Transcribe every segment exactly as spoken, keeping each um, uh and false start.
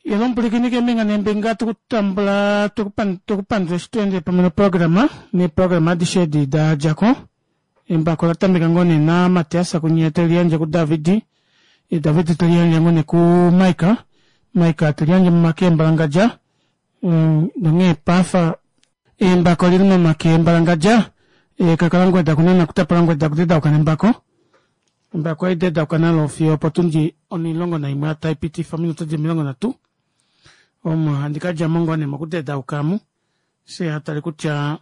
Yelombulikini keembinga neembinga tukutambula tukupandula eshi tweendele pamwe noprograma neeprograma adishe edi dadjako. Embako latameka ngoo nee na Matias kunye teliyandje ku David, David teliyandje ngoo nee ku Mike, Mike teliyandje momake embalangadja nonghee paife embako olili momake embalangadja kakalangweda kunena kutapalangweda okudedauka nembako. Embako ohaidedauka nalo fiyo opotundi onimulongo naimwe taipitifa ominute dili omilongo nhatu omo handi kadjamo ngoo nee mokudedauka amu fyee hatale kutya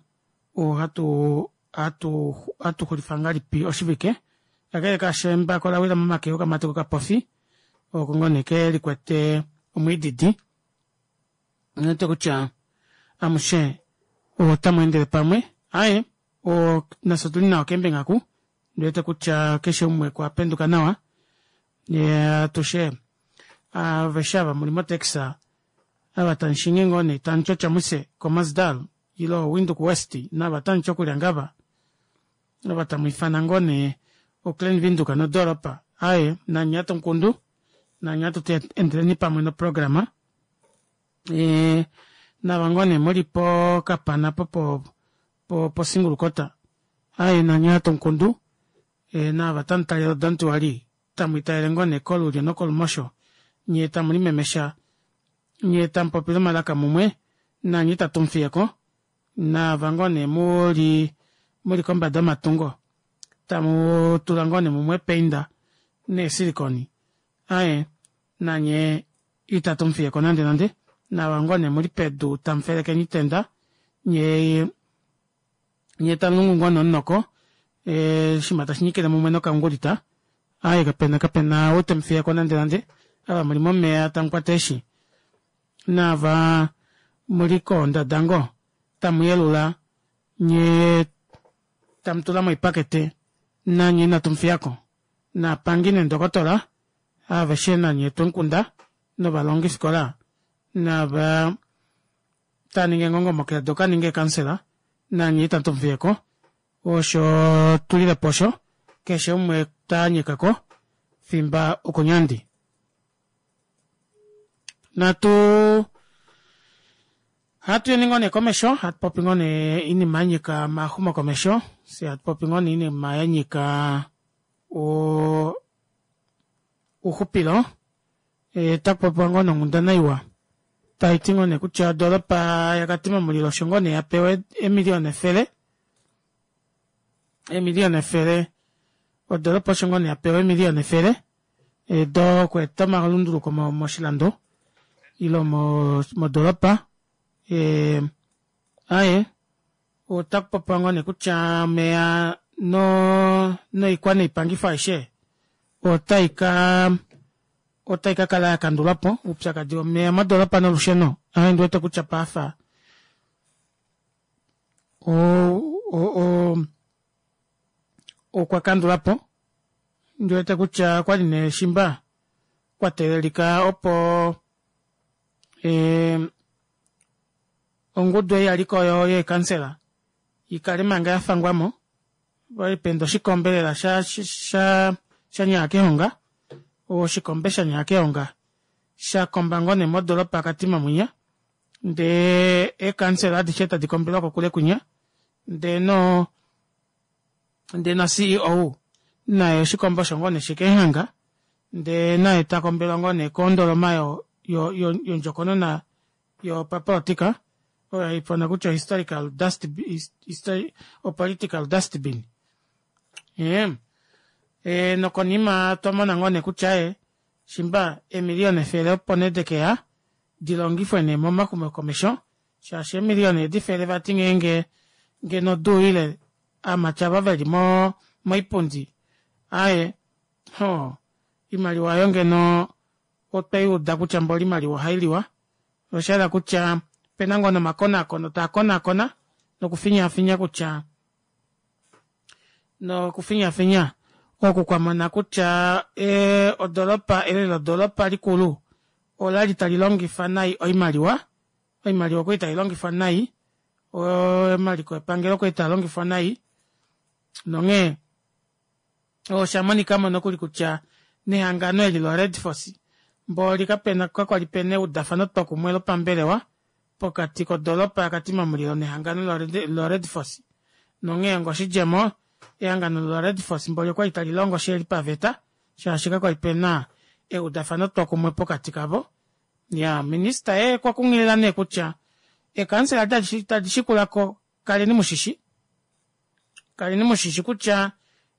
ohatu ohatu ohatuxulifa ngahelipi oshivike. Kakele kaasho embako olawila momake okamati kokapofi oko ngoo nee kelikwete omwiididi ondiwete kutya amushe otamweendele pamwe. Aaye nafye otuli nawa keembinga oku ondiwete kutya keshe umwe okwa penduka nawa atushe aveshe ava muli mo taxi ava tamushingi ngoo nee tamuti otjomuise khomasdal ile windhoek west naava tamuti okuryangava ava tamwiifana ngoo nee o klein windhoek nodoropa aaye nanye ohatu mukundu nanye ohatuti endeleni pamwe noprograma naava ngoo nee muli pokapana opo po single quarter aaye nanye ohatu mukundu naava tamutalele o don't worry tamwiitalele ngoo nee kolulyo nokolumosho nyee tamulimemesha nyee tamupopile omalaka mumwe nanye ita tumufiyeko naava ngoo nee muli muli kombada yomatungo tamutula ngoo nee mumwe eepainda nee silicone aaye nanye ita tumufiyeko nande nande naava ngoo nee muli pedu tamufelekeni oitenda nyee tamulungu ngoo nee omunoko oshinima tashinyikile mumwe nokaungulita aaye kapena kapena ou temufiyeko nande nande ava muli momeva tamukwata eeshi naava muli koondada ngoo tamuyelula nyee tamutula moipakete nanye ina tumufiyako naapangi neendokotola aveshe nanye otwemukunda novalongifikola naava taaningi eengongo dokukaninga eecouncillor nanye ita tumufiyeko osho tulilepo osho keshe umwe taanyekako fimba okonyandi. Natu hatuyeni ngoo nee komesho hatupopi ngoo nee oinima yanyika omaxumokomesho fyee hatupopi ngoo nee oinima yanyika ouxupilo otakupopiwa ngoo nee onghundana iwa taiti ngoo nee kutya odoropa ya katima mulilo osho ngoo nee yapewa eemiliona efele eemiliona efele odoropa osho ngoo nee yapewa eemiliona efele dokweeta omalunduluko moshilando ile modoropa aaye otakupopiwa ngoo nee kutya omeva noikwa noipangifo aishe otaika otaikakala yakandulwapo oupyakadi womeva modoropa nolusheno ame ondiwete kutya paife oo okwa kandulwapo ondiwete kutya okwali nee shimba kwa teelelika opo ongudu ei yaliko yeekansela ikale manga yafangwamo okwali paenda oshikombe lela shanyaya kehonga oshikombe shanyaya kehonga shakomba ngoo nee modoropa ya katima mwinya ndee eekansela adishe tadi kombelwa kokule kwinya ndee noo ndee na C E O naye oshikombe osho ngoo nee shekemuhanga ndee naye takombelwa ngoo nee kondoloma yondjokonona yopapolitika oyo haifanwa kutya historical dust political dustbin. Ee nokonima twamona ngoo nee kutya aaye shimba eemiliona efele opo nee dekeya dilongifwe nee momaxumokomesho shaashi eemiliona edi efele vati ngeenge ngeno oduuyile aamati ava veli moipundi aaye hoo oimaliwa aayo ngeno otweyuuda kutya mboli oimaliwa ohailiwa oshayela kutya opena ngoo nee omakonaakono taakonaakona nokufinyaafinya kutya nokufinyaafinya oku kwamona kutya odoropa elelo lodoropa likulu olali talilongifa nai oimaliwa oimaliwa okwali tailongifwa nai omaliko epangelo okwali taalongifwa nai nonghee oshamonikamo nokuli kutya nehangano eli lo redforce Mboli kapena kakwali pena eudafano twokumwe lopambelewa pokati kodoropa yaKatima Mulilo nehangano loRed Force nonghee onga oshidjemo ehangano loRed Force mboli okwali talilongo shiheli paveta shaashi kakwali pena eudafano twokumwe pokati kavo. Iyaa minister yee okwa kunghilila nee kutya eekansela tadi shikulako kaleni mushishi kaleni mushishi kutya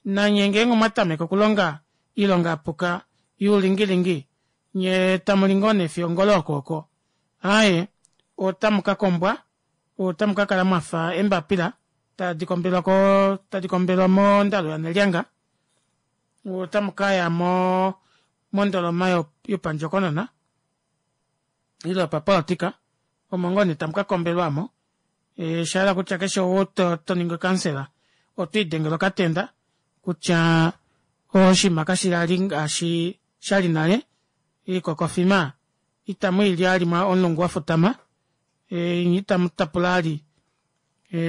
nanye ngeenge omwatameke okulonga oilonga yapuka youlingilingi nyee tamuli ngoo nee fiyo ongolo okooko aaye otamukakombwa otamukakala mwafa eembapila tadi kombelwa koo tadi kombelwa mondalu yanelyanga otamukaya moo mondoloma yopandjokonona ile yopapolitika omo ngoo nee tamukakombelwa aamo oshahala kutya keshe ou toningi okamusela otwiidengele okatenda kutya oshinima kashili ngaashi shali nale oikokofima ita mwiili vali omulungu wafutama nyee ita mutapula vali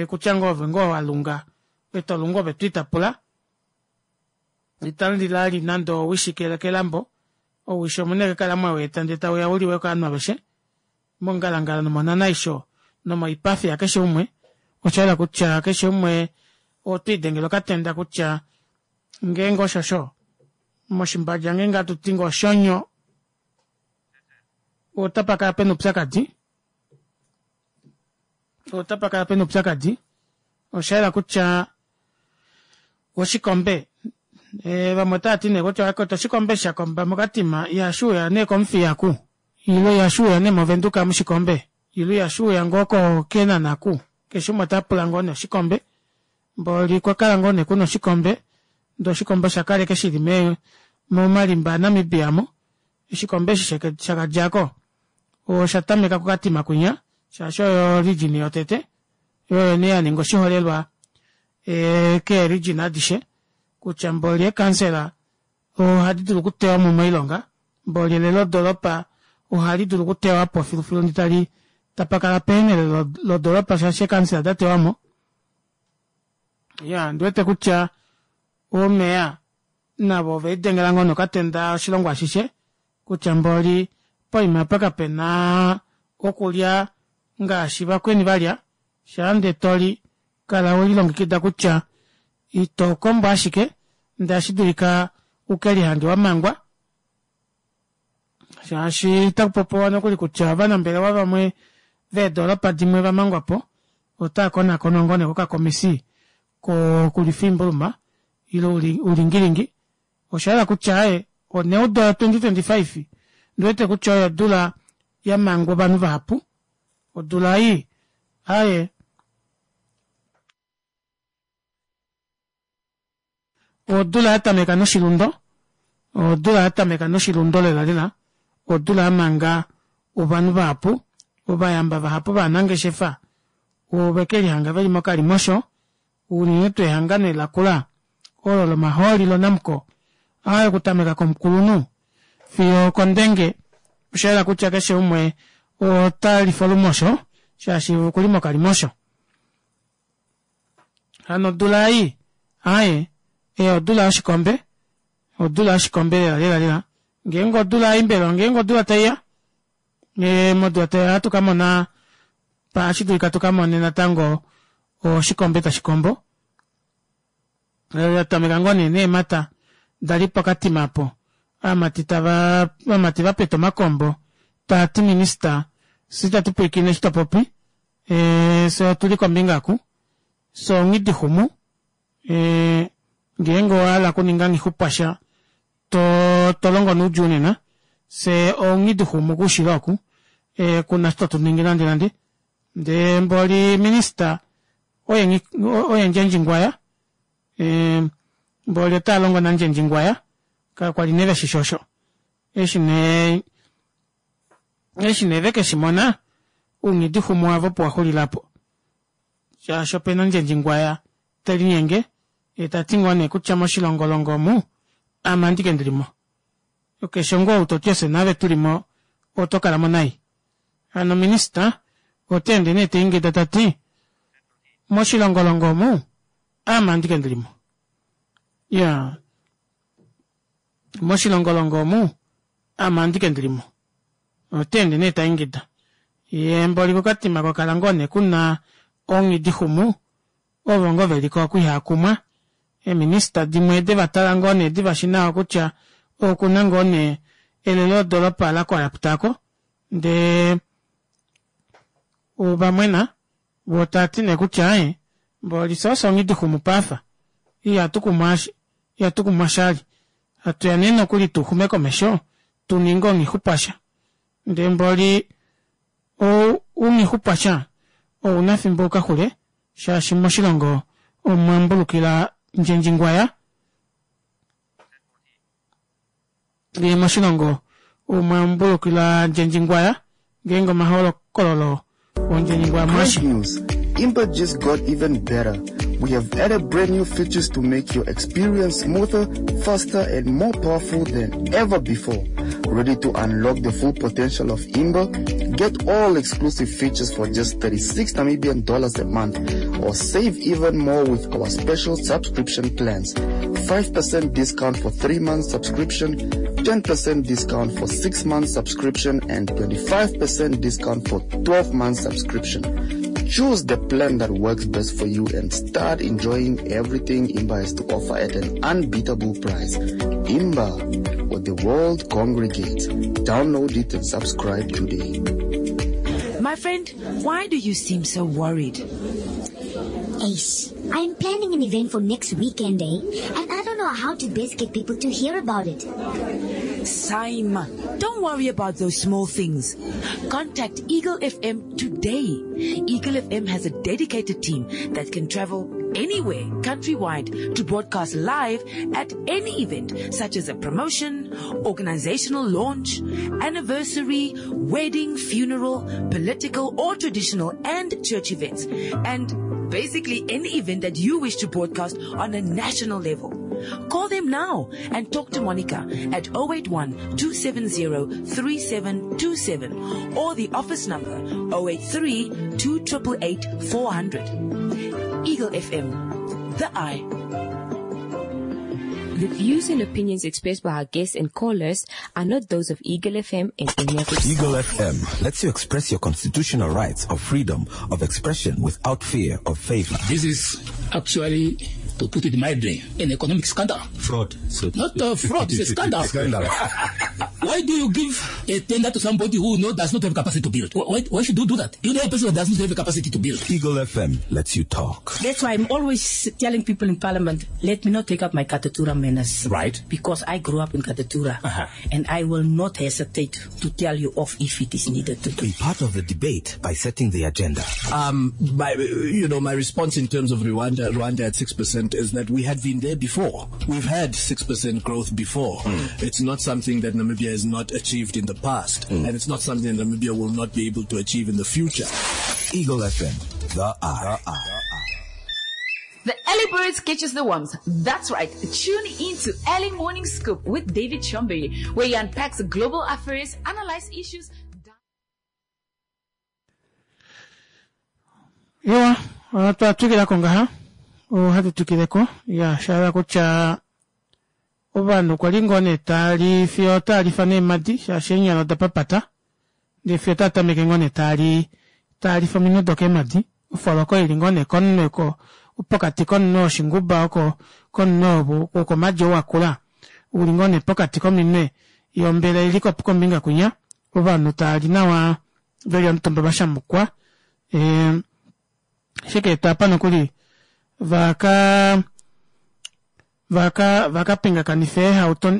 kutya ngoo ove ngoo walunga ove tolungu ove twiitapula itamulili vali nande ouwishi kelambo ouwishi omuna ashike okukala mweweeta ndee tauya uliwe kovanhu aveshe mongalangala nomonanhaisho nomoipafi yakeshe umwe oshayela kutya keshe umwe otwiidengele okatenda kutya ngeenge oshosho moshimbadja ngeenge hatuti ngoo oshonyo otapakala pena oupyakadi otapakala pena oupyakadi oshayela kutya oshikombe vamwe otavati nee kutya oshikombe eshi shakomba mokatima ihashuuya nee komuthiya oku ile ihashuuya nee movenduka mushikombe ile ihashuuya ngoo keenhana oku keshe umwe otapula ngoo nee oshikombe mboli okwakala ngoo nee kuna oshikombe ndee oshikombe oshakala ashike shili momalimba a namibia aamo oshikombe eshi shakadjako oshatameka kokatima kwinya shaashi oyo region yotete yoo oyo nee yaninga oshiholelwa kee region adishe kutya mboli eekansela ohadi dulu okutewamo moilonga mboli elelo doropa ohalidulu okutewapo filufilu ndee tali tapakala pehena elelo lodoropa shaashi eekansela odatewamo iyaa ondiwete kutya oomeya navo ovelidengela ngoo nee okatenda oshilongo ashishe kutya mboli poima aapa kapena okulya ngaashi vakweni valya shaande toli kala welilongekida kutya ito kombo ashike ndee ohashidulika ukelihange wamangwa shaashi otakupopiwa nokuli kutya ovanambelewa vamwe veedoropa dimwe vamangwapo otaakonakonwa ngoo nee kokakomisi kokulwifa oimbuluma ile oulingilingi oshayela kutya aaye oneudo ya twenty twenty five ondiwete kutya oyo odula yamangwa ovanhu vahapu odula ei aaye odula yatameka noshilundo odula yatameka noshilundo lela lela odula yamanga ovanhu vahapu ovayamba vahapu ovanangeshefa ovekelihanga veli mokalimosho unene tuu ehangano eli lakula olo lomahooli lo namcor aaye okutameka komukulunhu fiyo okondenge oshayela kutya keshe umwe otalifa olumosho shaashi okuli mokalimosho hano odula ei aaye odula yoshikombe odula yoshikombe lela lela lela ngeenge odula ei mbela ngeenge odula taiya modula taiya ohatu kamona ohashidulika tukamone natango oshikombe tashikombo yatameka ngoo nee neemata dali pokatima aapo ovamati tava ovamati vapeta omakombo taati minister fyee ita tupwiikine eshi topopi fyee otuli kombinga oku fyee onghidixumu ngeenge owahala okuninga nghixupwasha tolongo noudjuu nena fyee onghidixumu koushilo oku kuna eshi totuningi nande nande ndee mboli minister oye ndjendjingwaya mboli otalongo nandjendjingwaya kakwali nee veshishi osho eshi nee eshi nee vekeshimona ounghidixumu wavo opo waxulila aapo shaashi opena ndjendjingwaya telinyenge yeetati ngoo nee kutya moshilongolongo omu aame andike ndilimo keshe ngoo ou toti ofye naave tulimo oto kalamo nai hano minister otaende nee taingida tati moshilongolongo omu aame andike ndilimo iyaa moshilongolongo omu Ame andike ndilimo. Oteende nee taingida. Yee mboli kokatima kwakala ngoo nee kuna onghidixumu ovo ngoo veliko oku ihaakumwa. Eeminista dimwe devatala ngoo nee divashi nawa kutya okuna ngoo nee elelo lodoropa lacorrupta aako ndee ovamwena voo tavati nee kutya aaye mboli fyee ofye onghidixumu paife ihatukumwa oshali hatuya nee nokuli tuxume komesho tuninge oonghixupwasha ndee mboli ounghixupwasha ouna efimbo ukaxule shaashi moshilongo omwambulukila ndjendjingwaya ngee moshilongo omwambulukila ndjendjingwaya ngeenge omahokololo ondjendjingwaya mwashi. Great news! Imba just got even better. We have added brand new features to make your experience smoother, faster, and more powerful than ever before. Ready to unlock the full potential of Imba? Get all exclusive features for just thirty-six Namibian dollars a month, or save even more with our special subscription plans. five percent discount for three months subscription, ten percent discount for six months subscription, and twenty-five percent discount for twelve months subscription. Choose the plan that works best for you and start enjoying everything Imba has to offer at an unbeatable price. Imba, where the world congregates. Download it and subscribe today. My friend, why do you seem so worried? Ace, I'm planning an event for next weekend, eh? And I don't know how to best get people to hear about it. Saima, don't worry about those small things. Contact Eagle F M today. Eagle F M has a dedicated team that can travel anywhere countrywide to broadcast live at any event, such as a promotion, organizational launch, anniversary, wedding, funeral, political or traditional and church events, and basically any event that you wish to broadcast on a national level. Call them now and talk to Monica at oh eight one, two seven zero, three seven two seven or the office number oh eight three, two triple eight, four hundred. Eagle F M, the eye. The views and opinions expressed by our guests and callers are not those of Eagle F M and any of its Eagle F M lets you express your constitutional rights of freedom of expression without fear of favor. This is actually, to put it mildly, an economic scandal. Fraud. So Not a fraud, it's a scandal. Scandal. Why do you give a tender to somebody who knows does not have capacity to build? Why, why should you do that? You know a person who does not have the capacity to build. Eagle F M lets you talk. That's why I'm always telling people in Parliament, let me not take up my Katutura manners. Right. Because I grew up in Katutura. Uh-huh. And I will not hesitate to tell you off if it is needed to do. Be part of the debate by setting the agenda. Um, my, you know, my response in terms of Rwanda, Rwanda at six percent is that we had been there before. We've had six percent growth before. Mm. It's not something that Namibia has not achieved in the past, Mm. and it's not something that Namibia will not be able to achieve in the future. Eagle F M, the eye. The Early Birds catches the worms. That's right. Tune in to Early Morning Scoop with David Chombe, where he unpacks global affairs, analyzes issues. Ewa, otwa twikilako ngaha. Ohatu twikileko. Ya, sha kutya ovanhu okwa li ngoo nee tali fiyo talifa neemadi, shaashi eenyala oda papata. Ndee fiyo taa tameke ngoo nee tali, talifa ominwe dokeemadi. Ofoloko ili ngoo nee komunwe ko, pokati komunwe woshinguba oko, komunwe wokomadi ou wakula. Uli ngoo nee pokati kominwe yombele ili kombinga kwinya. Ovanhu tali nawa veli omutumba vashamukwa. E, shike tapa nokuli vaka vaka vakapingakanifa eehauto,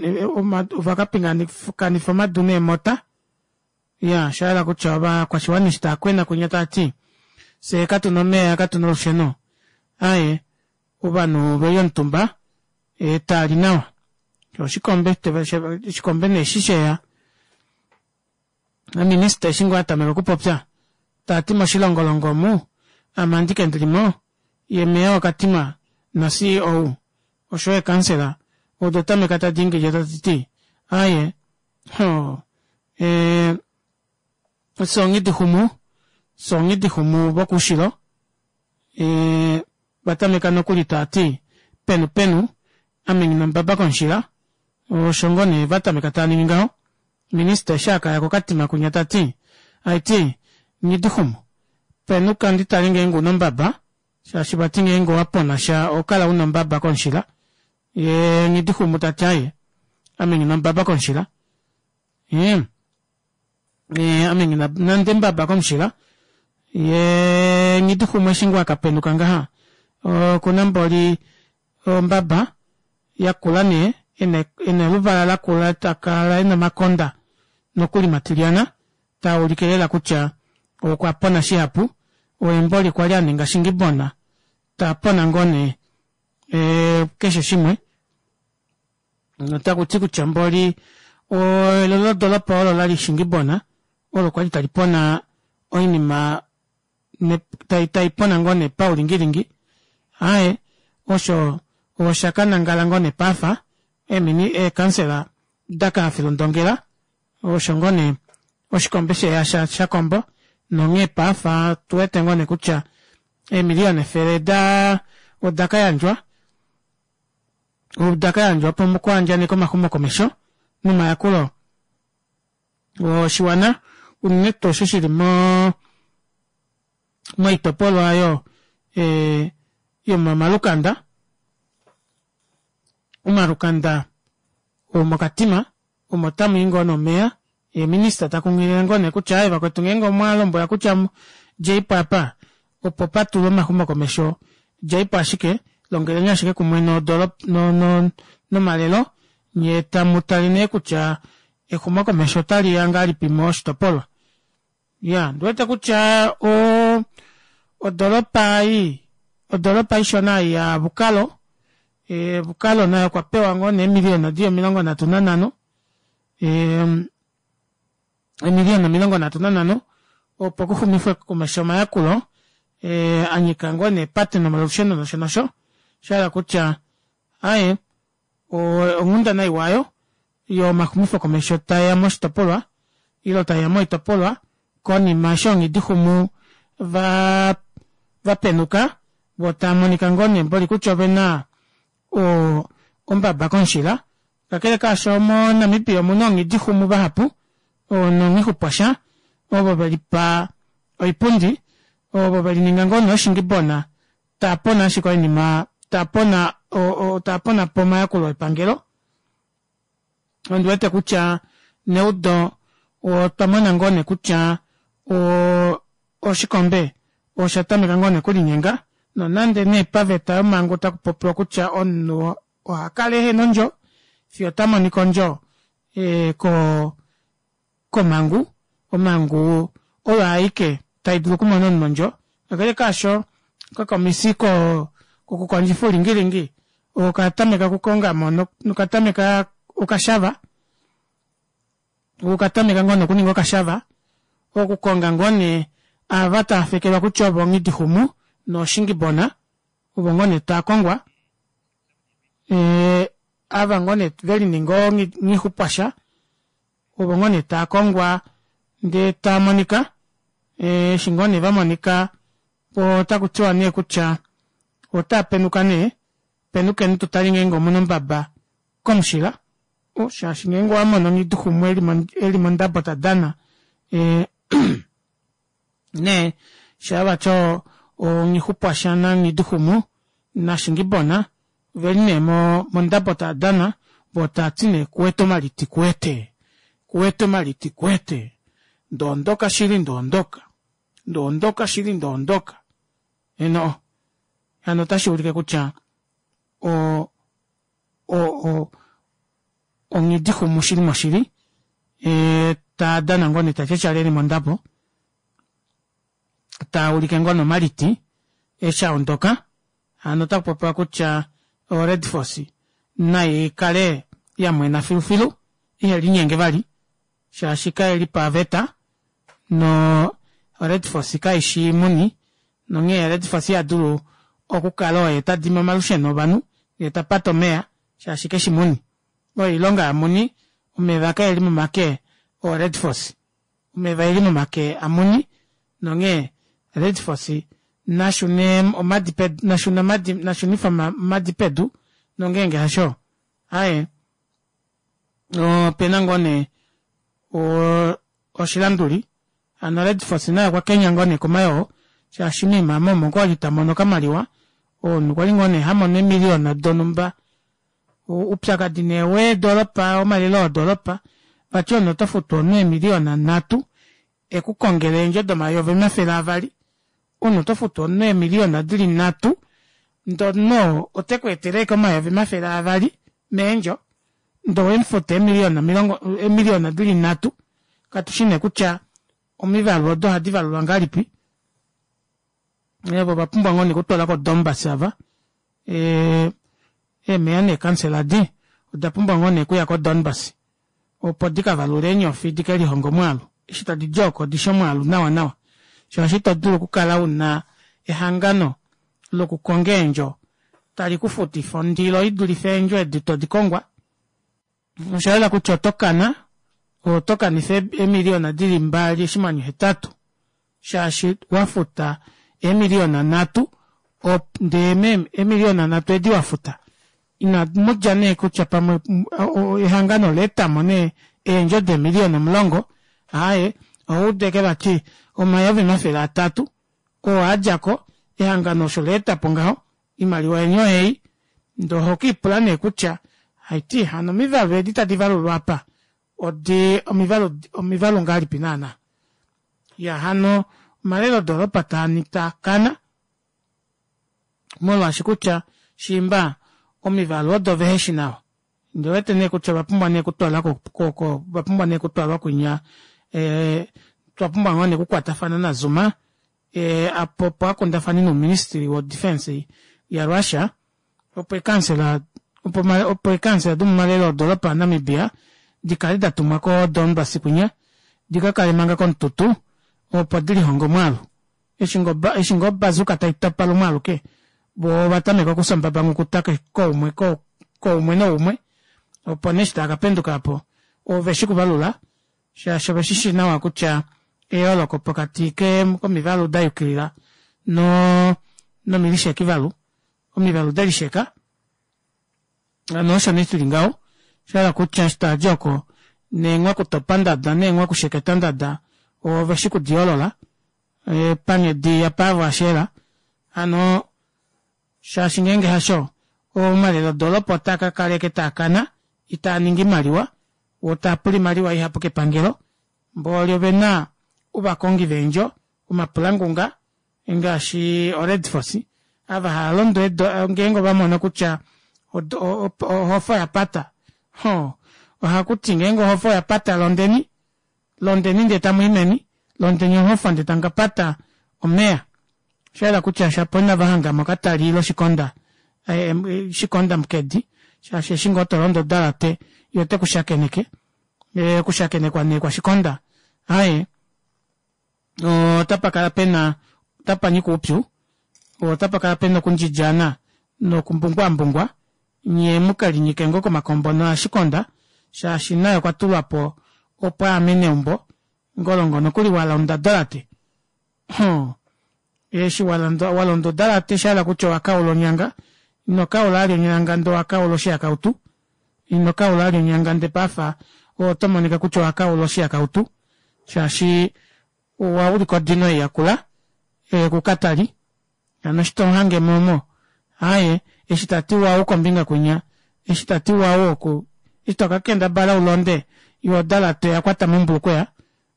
vakapingakanifa omadu neemota. Ya, shahala kutya ovakwashiwana eshi taakwena kwinya taati fye katuna omeya katuna olusheno. Aye, ovanhu veli omutumba e, tali nawa. Oshikombe, oshikombe nee eshi sheya. Minista eshi ngoo atameka okupopya taati moshilongolongo omu ame andike ndilimo, ye meya wakatima na C E O osho ye kansela odo tameka tadi ingilya tadi ti aye ho e, songi humu songi humu vokushilo e, vatameka nokuli tati penu penu ame ngina mbaba konshila osho ngoo nee vatameka taaningi ngaho. Minista eshi akaya kokatima kunya tati aiti Nghidixumu penuka nditale ngeenge una ombaba shaashi vati ngeenge owapona sha ohokala una ombaba komushila yee Nghidixumu tati aaye ame nghina ombaba komushila ee ame nghina nande ombaba komushila yee Nghidixumu eshi ngoo akapenuka ngaha okuna mboli ombaba yakula nee ena oluvala lakula takala ena omakonda nokuli matilyana taulike lela kutya okwapona shihapu oye mboli kwali aninga shingibona tapona ngoo nee keshe shimwe otakuti kutya mboli elelo lodoropa olo lali shingibona olo kwali talipona oinima taipona ngoo nee paulingilingi aaye osho oshakanangala ngoo nee paife eekansela dakahafela ondongela osho ngoo nee oshikombe sheya shakombo nonghee paife otuwete ngoo nee kutya eemiliyona efele odakayandjwa odakayandjwa opo mukuyandjanekwe omaxumokomesho nomayakulo oshiwana unene tuu osho shili moo moitopolwa aayo yomomalukanda omalukanda omokatima omo tamwii ngoo nee omeva yee minister takunghilile ngoo nee kutya aaye vakwetu ngeenge omwalombwelwa kutya djeipo aapa opo patulwe omaxumokomesho djeipo ashike longeleni ashike kumwe nomalelo nyee tamutale nee kutya exumokomesho otaliya ngahelipi moshitopolwa. Iyaa ondiwete kutya oo odoropa ei odoropa ishona ei ya bukalo bukalo naye okwapewa ngoo nee eemiliyona dili omilongo nhatu nanhano eemiliyona omilongo nhatu nanhano opo kuxumifwe komesho omayakulo anyika ngoo nee eepate nomalusheno nosho nosho oshahala kutya aaye onghundana iwa aayo yomaxumifo komesho taeya moshitopolwa ile taeya moitopolwa konima eshi oongidixumu vapenuka voo taamonika ngoo nee mboli kutya ovena ombaba komushila kakele kaasho mo namibia omuna oongidixumu vahapu nonghixupwasha ovo velipa oipundi ovo velininga ngoo nee ooshingibona taapona ashike oinima taapona taaponapo omayakulo epangelo ondiwete kutya neudo otwa mona ngoo nee kutya oshikombe osha tameka ngoo nee okulinyenga nonande nee paveta yomangu otakupopiwa kutya omunhu ohakala ehena ondjo fiyo tamonika ondjo komangu omangu oyo aike taidulu okumona omunhu ondjo kakele kaasho okakomisi kokukondjifa oulingilingi okatameka okukongamo nokatameka okashava okatameka ngoo nee okuninga okashava okukonga ngoo nee ava taafekelwa kutya ovo nghidixumu nooshingibona ovo ngoo nee taakongwa ava ngoo nee velininga oonghixupwasha ovo ngoo nee taakongwa ndee taamonika eshi ngoo nee vamonika otakutiwa nee kutya otaapenuka nee penukeni tutale ngeenge omuna ombaba komushila shaashi ngeenge owamono nghidixumu eli mondabo tadana nee shaa vati nghixupwasha nanghidixumu nashingibona oveli nee mondabo taadana voo taati nee kuwete omaliti kuwete kuwete omaliti kuwete ndoondoka shili ndoondoka ndoondoka shili ndoondoka eno hano otashuulike kutya o o onghidixumu shili moshili taadana ngoo nee tatyatyala eli mondabo taulike ngoo nee omaliti eshi aondoka hano otakupopiwa kutya o red force naikale yamwena filufilu ihelinyenge vali shaashi kaili paveta no red force kaishi muni nonghee red force ihadulu okukala oye tadimi omalusheno ovanhu yee tapate omeva shaashi keshi muni oyo oilonga yamuni omeva kaeli momake o red force omeva oeli momake amuni nonghee red force nashune omadi pedu nashune omadi nashunife omadi pedu nongeenge hasho aaye opena ngoo nee Oshilanduli hano Red Force naye okwa kenya ngoo nee komayoo shaashi moima omo okwali tamono okamaliwa omunhu kwali ngoo nee hamono eemiliyona donhumba. Oupyakadi nee weedoropa omalelo odoropa vati omunhu oto futu omunhu eemiliyona nhatu ekukongele eendjo domayovi omafele avali omunhu oto futu omunhu eemiliyona dili nhatu ndee omunhu oo otekweetele ashike omayovi omafele avali meendjo ndee owemufuta eemiliyona omilongo eemiliyona dili nhatu katushi nee kutya omivalu odo ohadi valulwa ngahelipi ova ovapumbwa ngoo nee okutwalwa ko Donbass ava ee eemeya neekansela edi oda pumbwa ngoo nee okuya ko Donbass opo dikavalule eenyofi dikelihonge omwaalu eshi tadidi oko odishi omwaalu nawa nawa shaashi ito dulu okukala una ehangano lokukonga eendjo tali kufutifa ondilo idulife eendjo edi todi kongwa oshayela kutya otokana oto kanifa eemiliyona dili mbali oshinghwanyu hetatu shaashi wafuta eemiliyona nhatu ndee eemiliyona nhatu edi wafuta inamudja nee kutya pamwe ehangano olaetamo nee eendjo deemiliyona omulongo aaye ohaudu ashike vati omayovi omafele atatu oo adjako ehangano osho laetapo ngaho oimaliwa yeni oyeyi ndee ohokiipula nee kutya haiti hano omivalu edi tadi valulwa aapa odi omivalu omivalu ngahelipi naana iyaa hano omalelo odoropa taakana molwaashi kutya shiimba omivalu odo veheshi nawa ondiwete nee kutya ovapumbwa nee okutwalwa ko ovapumbwa nee okutwalwa kwinya ee otwapumbwa ngoo nee okukwatafana na Zuma ee opo akundafane nouministry wo defence ya Russia opo eekansela opo eekansela domomalelo odoropa a Namibia dikale datumwa ko Donbass kwinya dikakale manga komututu opo dilihonge omwaalu eshi ngoo obazuka taitopa lumwe aluke voo ovatameka okufya ombabanghukuta koumwe koumwe noumwe opo nee eshi taakapenduka aapo oveshi kuvalula shaashi oveshishi nawa kutya eyooloko pokati komivalu dayukilila no nomilishekivalu omivalu delisheka hano osho nee shili ngaho oshahala kutya eshi tavadi oko neenghwakutopa ndada neenghwakusheketa ndada oveshi kudiyoolola panghedi ya Paavo Asheela hano shaashi ngeenge hasho omalelo odoropa otaa kakala ashike taakana itaaningi oimaliwa woo taapula oimaliwa ihapu kepangelo mbooli ovena ovakongi veendjo omapulangunga ngaashi o Red Force ava haalondo ngeenge ovamono kutya ohofa oyapata hoo ohakuti ngeenge ohofa oyapata londeni londeni ndee tamuyi meni londeni ohofa ndee tamukapata omeva oshayela kutya shapo inavahangamo katali ile oshikonda shikonda mukedi shaashi eshi ngoo tolondo odalate yee otekushakeneke okushakenekwa nee kwashikonda aaye otapakala pena otapanyika oupyu otapakala pena okundjidjana nokumbungwambungwa nyee mukelinyike ngoo komakombono ashikonda shaashi naye okwatulwapo opo aamene eumbo ngolongo nokuli walonda odalate hoo eshi walonda odalate oshahala kutya owakaula onyanga ino kaula vali onyanga ndee owakaula oshihakautu ino kaula vali onyanga ndee paife otomonika kutya owakaula oshihakautu shaashi owaulika odino ei yakula kukatali hano eshi tomuhangemo omo aaye eshi tati wawu kombinga kwinya eshi tati wawu oku eshi tokakendabala ulonde yoo odalate oyakwata mombulukweya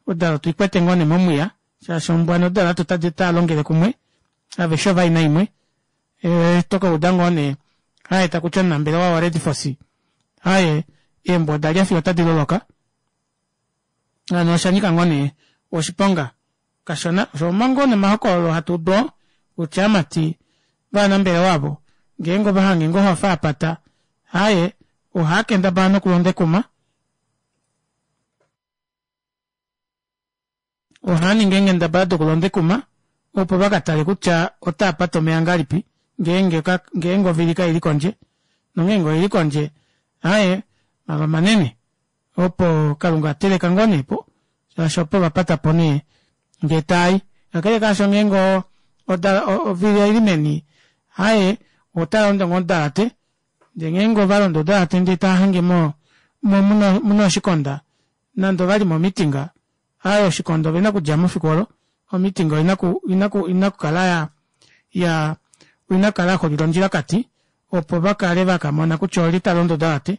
odalate oikwete ngoo nee momwiya shaashi ombwa nodalate otaalongele kumwe aveshe ovayi naimwe tokauda ngoo nee aaye takuti omunambelewa wa red force aaye eembwa odalya fiyo otadi loloka hano oshanyika ngoo nee oshiponga kashona osho ngoo nee omahokololo hatuudu oo kutya aamati vanambelewa aavo ngeenge ovahange ngoo ohofa yapata aaye ohaakendabala nokulonda ekuma ohaaningi eenghendabala dokulonda ekuma opo vakatale kutya otaapate omeva ngahelipi ngeenge ngeenge ovili kaili kondje nongeenge oili kondje aaye mava manene opo kalunga ateleka ngoo neepo shaashi opo vapatapo nee ndee taayi kakele kaasho ngeenge ovili oili meni aaye otalondo ngoo odalate ndee ngeenge ovalondo odalate ndee taahange mo muna oshikonda Nande ovali momitinga, aaye oshikondo ovena okudjamo efiku olo, omitinga oina ku oina okukala ya ya oina okukala yaxulila ondjilakati opo vakale vakamona kutya olye talondo odalate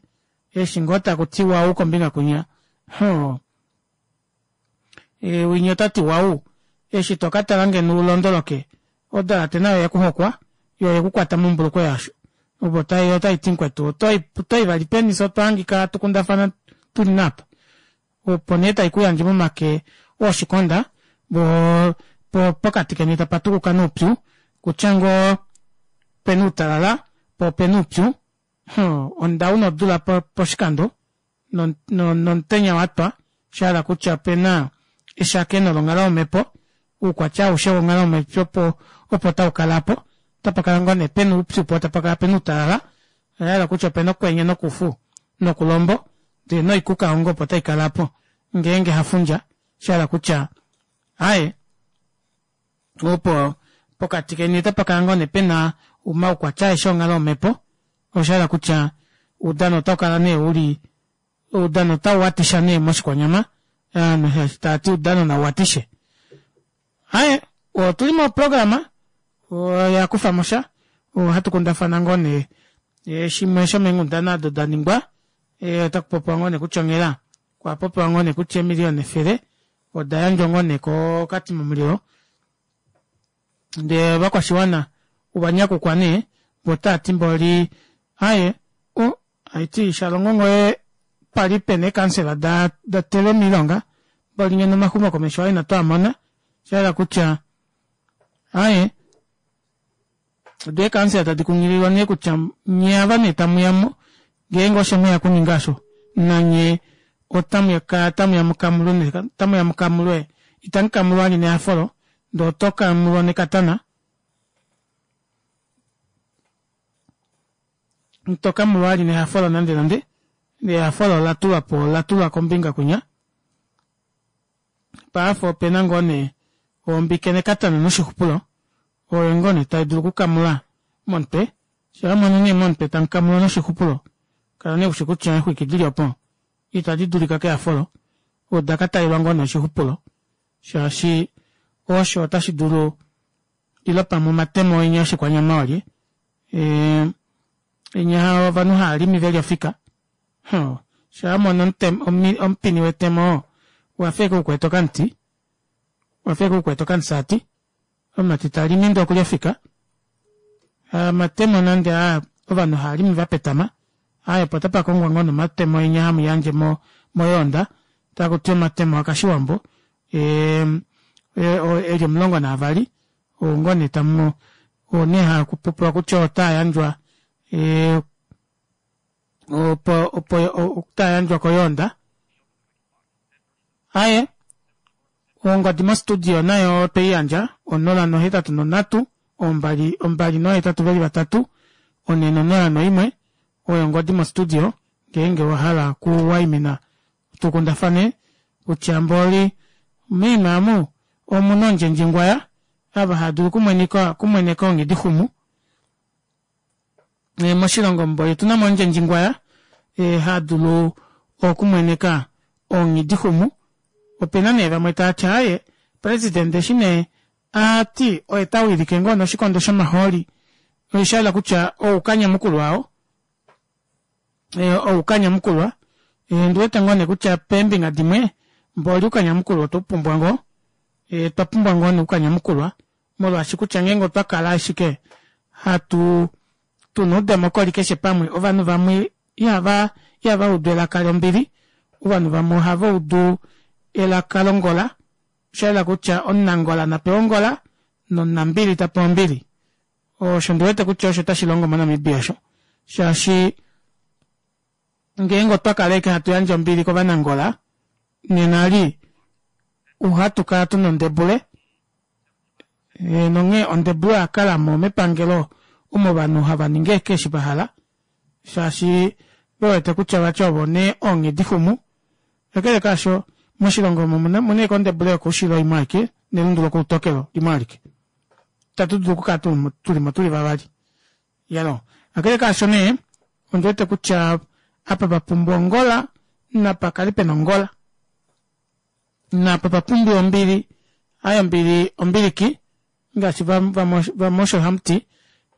eshi ngoo takuti wau kombinga kwinya hoo winya otati wau eshi tokatala ngeno ulondoloke odalate nayo oyekuhokwa yoo oyekukwata mombulukweya aasho opo otaiti mukwetu otoyi vali peni fyee otwahangika hatu kundafana tuli naapa opo nee taikuyandje momake ooshikonda voo pokati keni tapatukuka nee oupyu kutya ngoo opena outalala poo opena oupyu ondau nodula poshikando nomutenya watwa shahala kutya opena eshakeno longhalo yomepo oukwatya aushe wonghalo yomepo opo taukala aapo otapakala ngoo nee pena oupyu poo tapakala pena outalala oshahala kutya opena okwenye nokufu nokulombo ndee noikuka opo ngoo taikala aapo ngeenge hafundja oshahala kutya aaye opo pokati keni otapakala ngoo nee pena omaukwatya aeshe onghalo yomepo oshahala kutya oudano otaukala nee uli oudano otauwatisha nee moshikwanyama ovanhu eshi taati oudano nauwatishe aaye otuli moprograma yakufamosha ohatu kundafana ngoo nee shimwe shomeenghundana odo daningwa otakupopiwa ngoo nee kutya onghela okwa popiwa ngoo nee kutya eemiliyona efele oda yandjwa ngoo nee ko katima mulilo ndee ovakwashiwana ovanyakukwa nee voo otaati mboli aaye oh haiti shalongo ngoo pali pena eekansela datelwa moilonga mboli ngeno omaxumokomesho oo inatwaamona oshahala kutya aaye doo eekansela tadi kunghililwa nee kutya nyee ava nee tamuyamo ngeenge osho mweya okuninga aasho nanye otamukala tamuya mukamulwe otamuya mukamulwe itamukamulwa vali nehafo ndee otokamulwa nekatana itokamulwa vali nehafo nande nande ehafo olatulwapo olatulwa kombinga kwinya paife opena ngoo nee ombike nekatana noshixupulo oyo ngoo nee taidulu okukamula momutwe shaa wamono nee momutwe tamukamulwa noshixupulo kala nee ushi kutya eexwiki dili opo itadi dulika kehafolo odakatalelwa ngoo nee oshixupulo shaashi osho otashi dulu ile pamwe omatemo enya oshikwanyama olye enya ovanhu haalimi veli ofika shaa wamono omupini wetemo oo owafa ashike ukwete okamuti owafa ashike ukwete okamusati omumati talimi ndee okuli ofika omatemo nande aa ovanhu haalimi vapetama aaye opo otapakongwa ngoo nee omatemo enya hamuyandje moyoonda takuti omatemo akashiwambo eli omulongo naavali oo ngoo nee tamu oo nee hakupopiwa kutya otaayandjwa opo opo otaayandjwa koyoonda aaye ongodi mo studio nayo otweiyandja onola nohetatu nonhatu ombali ombali nohetatu veli vatatu onhe nonola noimwe oyo ongodi mo studio ngeenge owahala okuwaimina tukundafane kutya mboli moima omu omuna ondjendjingwaya ava haadulu okumweneka onghidixumu moshilongo mboli otunamo omundjendjingwaya hadulu okumweneka onghidixumu opena nee vamwe taati aaye president eshi nee ati oye tawilike ngoo nee oshikondo shomahooli oshahala kutya oukanyamukulwa oo oukanyamukulwa ondiwete ngoo nee kutya peembinga dimwe mboli oukanyamukulwa otweupumbwa ngoo otwa pumbwa ngoo nee oukanyamukulwa molwaashi kutya ngeenge otwa kala ashike hatu tuna oudemokoli keshe pamwe ovanhu vamwe ihava ihava udu elaka lombili ovanhu vamwe ohava udu elaka longola oshayela kutya omunangola napewe ongola nomunambili tapewa ombili osho ndiwete kutya osho tashilongo mo Namibia osho shaashi ngeenge otwa kala ashike hatu yandje ombili kovanangola nena eli ohatu kala tuna ondebule nonghee ondebule oyakalamo mepangelo omo ovanhu hava ningi ashike eshi vahala shaashi vewete kutya vati ovo nee onghedixumu kakele kaasho moshilongo omu omuna ashike ondebule yokoushilo imwe aike nelundu lokoutokelo limwe alike itatu dulu okukala tulimo tuli vavali iyaloo kakele kaasho nee ondiwete kutya apa papumbwa ongola napakale pena ongola Napa pa pumbiwa ombili, aye ombili ombiliki ngaashi vamwe osho hamuti,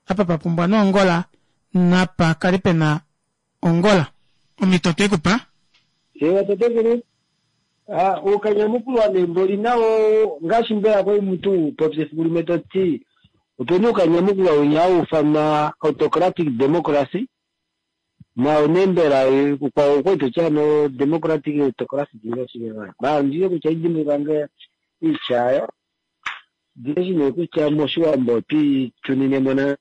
apa pa pumbwa noongola napa kale pena ongola. Omhito otwe kupa. Ewa tatekulu, uukanyamukulwa nee mboli nawo ngaashi mbela kwali mutu popya efiku limwe to ti opena uukanyamukulwa winya hau ufanwa autocratic democracy nawo nee mbela kwao okwali toti ano democratic autocracy mara ondile kutya idimbuluka nge iitya yayo ndileshi nee kutya moshiwambo otwiitunine na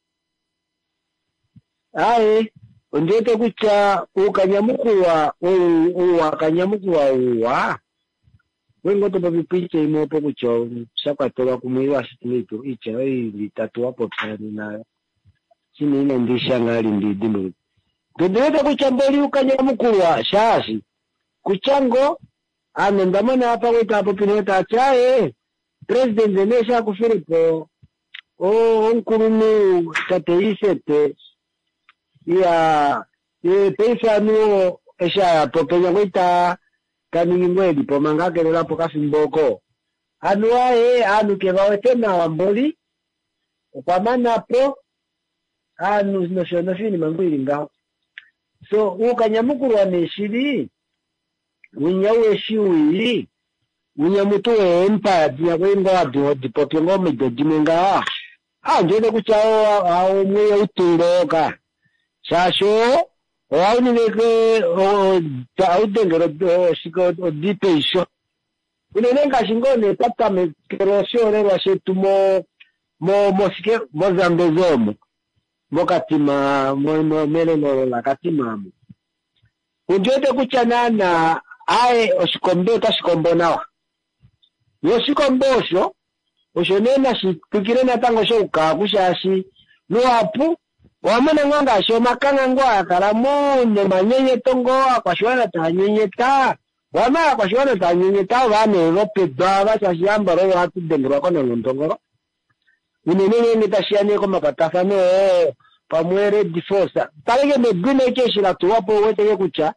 aye ondiwete kutya uukanyamukulwa ou wakanyamukulwa uwa wengo to popi piitya imwe opo kutya sha kwatelwa kumwe ile ashike iitya oyo ili itatu wa popya nayo shine ina ndishanga ali ndidimbuluka ndiwete kutya mboli uukanyamukulwa shaashi kutya ngo ame ndamona apa kwali taapopi nee taati aye president nee shakufilepo omukulunhu tate Ithete iya ye paife anu eshi ayapo penya kwali ta taningi ngoo elipo manga akelelapo okafimbo oko anuwa ee aanhu kevawete nawa mboli okwa manapo aanhu nosho nosho iinima ngoo ili ngaho so uukanyamukulwa nee shili winya uheshi wii winya mutu weempire dinya kwali ngoo hadi ngoo omido dimwe ngaha ah ndiwete kutya omwe outule oka shaashi ohauningike haudengele oshike odi peisho unene ngaashi ngoo nee twatamekele oshiholelwa shetu mo mo moshike mozambezi omo mokatima melelo lakatima omo ondiwete kutya naana aye oshikombe otashi kombo nawa yo oshikombe osho osho nee nashi twikile natango shoukaku shaashi luhapu owamona ngoo ngaashi omakangha ngoo aakalamo nomanyenyeto ngoo akwashiwana taa nyenyeta wana akwashiwana taa nyenyeta ova nee vopedu ava shaashi ambala ovo hatu dengelwa konanondongolo unene ngeenge tashiya nee komakwatafano oo pamwe red force taleke medina eke eshi latulwapo ouweteke kutya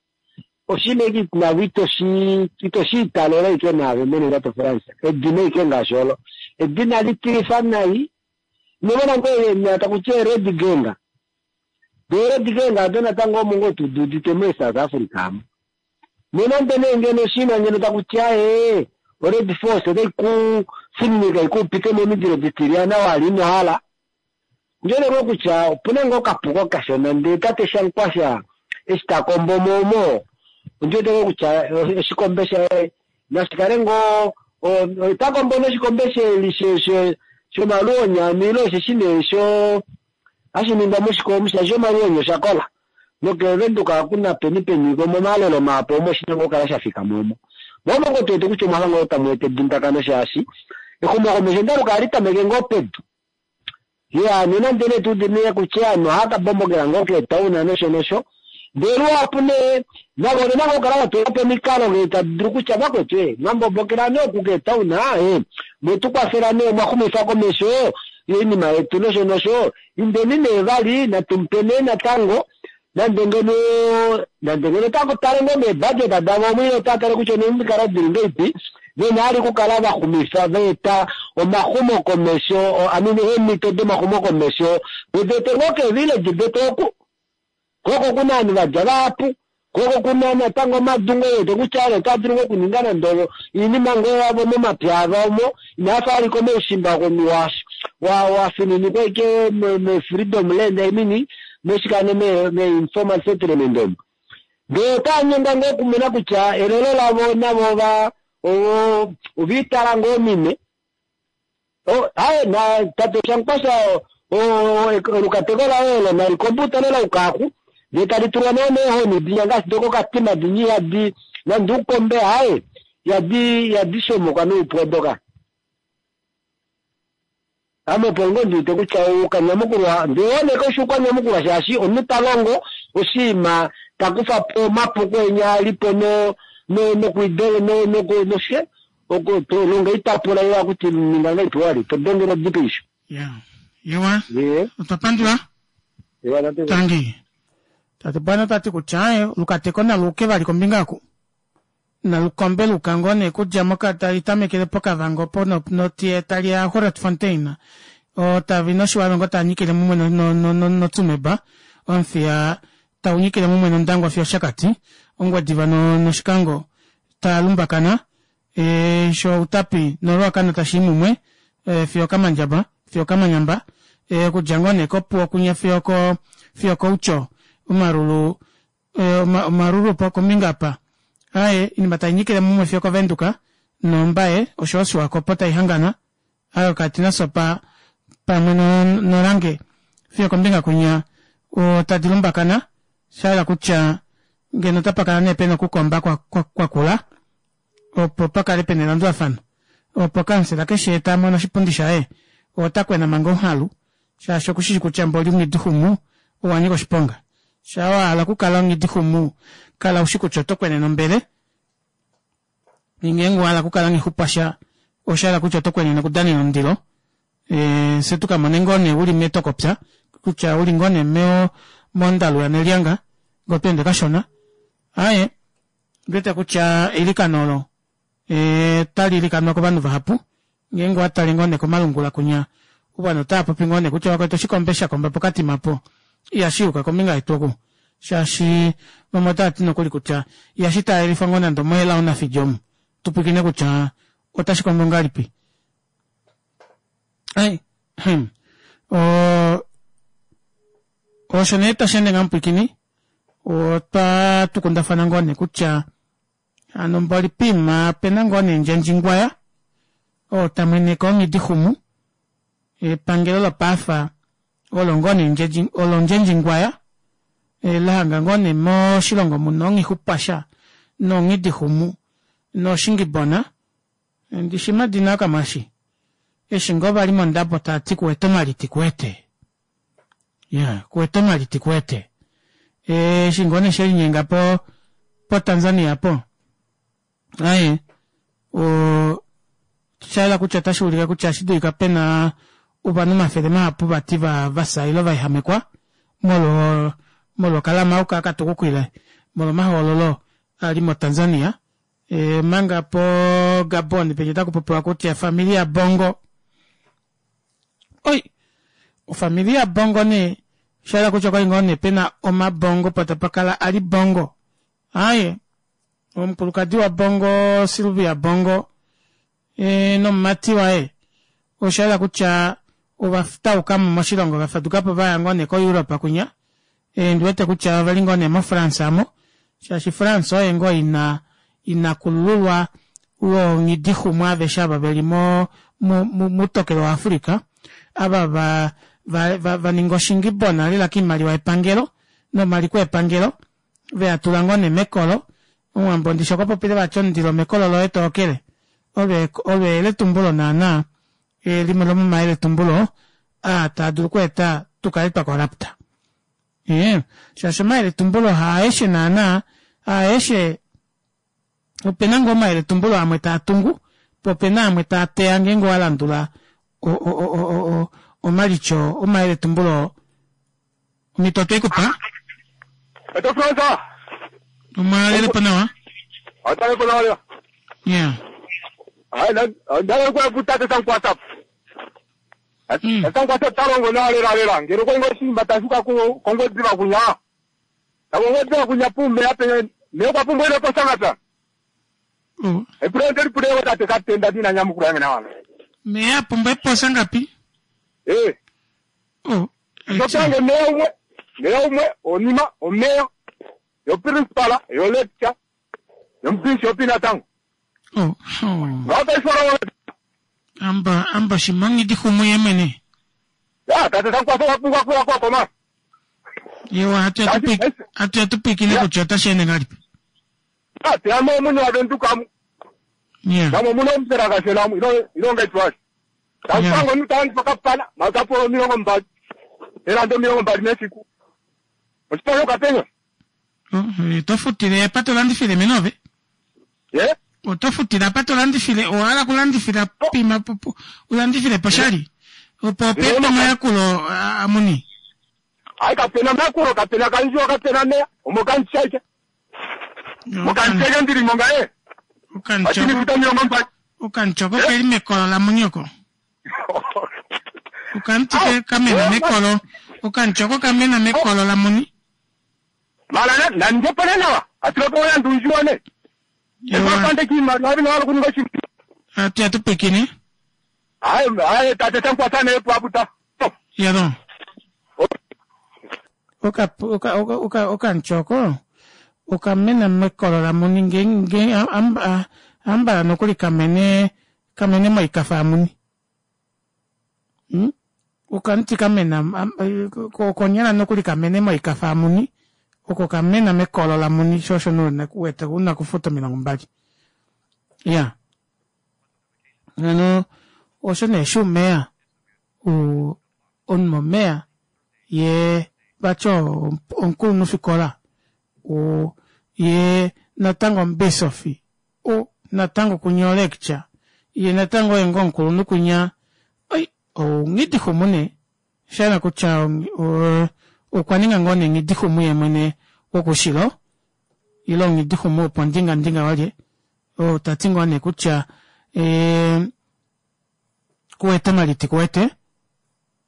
oshinima eke navo itoshi itoshi italela ike naave mwene tate France edina ike ngaashi olo edina litilifa nai nomona ngoo takuti red gang dee red gang ado natango omo ngoo tududite mo South Africa amo nonande nee ngeno oshinima ngeno takuti aye ored force otai kufininika ikupite momindilo ditilyana wali inohala ndjele ngoo kutya opuna ngoo okapuko kashona ndee tate Shankwasha eshi takombo momo ondiwete ngoo kutya oshikombe shaye nashikale ngoo otakombo noshikombe shomaluonya ile osheshi nee sho hashi ningwa moshikombe shaashi omaluonya oshakola nokevenduka hakuna peni peni momalelo maapo omo oshina ngoo kala shafika momo momo ngoo tuwete kutya omwafa ngoo tamu eta edundakano shaashi exumokomesho ndaluka hali tameke ngoo pedu ya nonande nee tuudine kutya ovanhu ohava kabombokela ngoo keetauna nosho nosho ndee luhapu nee navo ovena ngoo okukala vatula po omikalo ngee tadi dulu kutya vakwetu e mwambombokela nee oku keetauna e mwetukwafela nee mwaxumifa komesho oinima yetu nosho nosho indeni nee vali natumupe nee natango nande ngeno nande ngeno otava tale ngoo meebudget davo omo ile otava tale kutya omikalo dili ngeipi vena ali okukala vaxumifa vaeta omaxumokomesho amine eemhito domaxumokomesho vedete ngoo keevillage detu oku koko kuna ovanhu vadja vahapu koko kuna natango omadungo wete kutya ale otava dulu ngoo okuninga nande oinima ngoo yavo momapya avo omo inaafa aliko moushimba wa wafininikwa ike me-freedom land I mean moshikane me-informal settlement omo ndee otanyengwa ngoo okumona kutya elelo lavo navo va oviitala ngoo mime aye na tate Shankwasha olukateko laye olo nalikombuta lela ukaku ndee tali tulwa nee meehoni dinya ngaashi dokokatima dinyi yadi nande ukombe aye yadi yadi shomoka noupu doka ame opo ngoo ndiwete kutya oukanyamukulwa ndiwoneka osho ukanyamukulwa shaashi omunhu talongo oshiima takufa po omapuko enya alipo no nokwidele noshe longa itapula iwa kuti ninga ngaipi wali todengela odipeisho ya yewa otwa pandula tangi tate bwana tati kutya aye olukateko naluuke vali kombinga oku Nalukombe luka ngoo nee kudja moka tali tamekele pOkavango po notiye tali ya Grootfontein Otavi nOshiwarongo taa nyikile mumwe noTsumeb, Omuthiya tau nyikile mumwe nOndangwa fiyo Oshakati, Ongwediva nOshikango taa lumbakana, sho Outapi noRuacana tashi i mumwe fiyo Okamandjaba fiyo Okamanyamba, okudja ngoo nee kOpuwo kwinya fiyo fiyo kOutjo, Omaruru Omaruru kombinga apa aaye oinima tainyikile mumwe fiyo okoVenduka nOmbaye oshoyo Oshiwakopo taihangana ayo katina sopa pamwe nolange fiyo kombinga kwinya tadi lumbakana shahala kutya ngeno otapakala nee pena okukomba kwakula opo pakale pena elandulafano opo kansela keshe tamono oshipundi shaye ota kwena manga onghalu shaashi okushishi kutya mboli omwiidixumu owanyika oshiponga shaa wahala okukala omwiidixumu kala ushi kutya oto kwenene ombele ngeenge owahala okukala nghixupwasha oshahala kutya oto kwenene okudanena omundilo e, fye tukamone ngoo nee uli metokopya kutya uli ngoo nee mondalu yanelyanga ngoo tweende kashona aaye ndiwete kutya eilikano olo e, tali ilikanwa kovanhu vahapu ngeenge owatale ngoo nee komalungula kunya ovanhu otava popi ngoo nee kutya vakwetu oshikombe shakomba pokatima po ihashi yuka kombinga yetu oku shaashi vamwe otava ti nokuli kutya ihashi taalelifwa ngoo nande omohela onafidi omu tupwikine kutya otashi kombo ngahelipi ai hmm. o osho nee tashi ende ngamupwikini otwa tukundafana ngoo nee kutya hano mboli pima pena ngoo nee ndjendjingwaya oo tamweneke onghidixumu epangelo lopaafa olo ngoo nee olo ndjendjingwaya lahanga ngoo nee moshilongo muna onghixupasha nonghidixumu noshingibona ndishi madina akamwashi eshi ngoo vali mondabo taati kuwete omaliti kuwete ya kuwete omaliti kuwete eshi ngoo nee shelinyenga po po Tanzania po aye o shaela kutya otashi ulike kutya otashi dulika pena ovanhu omafele mahapu vati va vafya ile vaehamekwa molwo molwo okalama oka katukukile molwo omahoololo ali mo Tanzania e, manga po Gabon penya otaku popiwa kutya familia Bongo oi ofamilia Bongo nee shaela kutya okwali ngoo nee pena omabongo po tapakala ali Bongo aye omukulukadi waBongo Sylvia Bongo e, nomumati waye osha kutya ova taukamo moshilongo vafadukapo vaya ngoo nee ko-Europe kwinya e, ndiwete kutya oveli ngoo nee moFrance amo shaashi France oye ngoo ina inakulululwa wongidixumwa aveshe ava veli mo mutokelo waAfrica ava va va, va, va ninga oshingibona lela kiimaliwa yepangelo nomaliko epangelo veya tula ngoo nee mekolo omuwambo ndishi okwa popile vati omundilo mekolo loye tookele olo olo eyeletumbulo naana limwe lomomayeletumbulo aa taa dulu okweeta tukale twa korapta ee shaashi omayeletumbulo haaeshe naana haaeshe opena ngoo omayeletumbulo amwe taa tungu po opena amwe taa teya ngeenge owalandula omalityo omayeletumbulo omito otweikupa Eto Fransa. omwalelepo nawa Atalepo nawa lela. yeah Ai na ndala kwa kutate sangu WhatsApp. Sangu WhatsApp talongo nawa lela lela. Ngero kwa ngo simba tashuka ku kongo dziva kunya. Kongo dziva kunya pume ape me kwa pume ile posangata. Oh. E pule pule tate katenda dina nyamukula yange nawa. meya pumbwa eposa ngapi Eh. Oh. Sotange meya umwe. Meya umwe onima omeya. Yo principal yo lecture. Yo bishop ina tango. Oh. Oh. Ngata amba amba shimangidi xumu yemwene Ya tate sangu kwa kwa kwa kwa kwa yewa hatu yatupikile kutya otashi ende ngahelipi Ah, te amo munhu wavenduka mu. Yeah. Namo muno mutera kashela mu ilo ilonga itwashi. Tango nutandi pakapana makapolo milongo mbali. Era ndo milongo mbali mesiku. Osipalo kapenya. Oh, tofutile apa tolandifile menove ye otofutile apa tolandifile owahala okulandifila pima ulandifile poshali opo opepe omayakulo amuni Ai kapena makulo kapena kanjiwa kapena meya omokanchaike. Mokanchaike ndiri monga e. Okanchoko okanchoko keli mekolo lamunyoko. Okamti ke kamena mekolo. Okanchoko kamena mekolo lamuni. Mara nandepona nawa atulokola ndunjuone. Epapande kiimaliwa vino wala kuninga oshintu. Atu yatupikine. Aye aye tate tankwatana epo aputa. Yado. Oka oka oka okanchoko okamena mekolo lamuni nge nge amba ambala nokuli kamene kamene moikafa yamuni. Hmm? Okamuti kamena konyala nokuli kamene moikafa yamuni oko kamena mekolo lamuni sho osho wete una okufuta omilongo mbali. Ya. Hano osho nee shuumeya omumomeya ye vati omukulunhufikola ye natango omubisofi natango kunya olecture ye natango oye ngoo omukulunhu kunya oi ounghidixumu nee oshahala kutya okwa ninga ngoo nee nghidixumu yeemwene wokushilo ile onghidixumu wopondingandinga walye oo tati ngoo nee kutya ee kuwete omaliti kuwete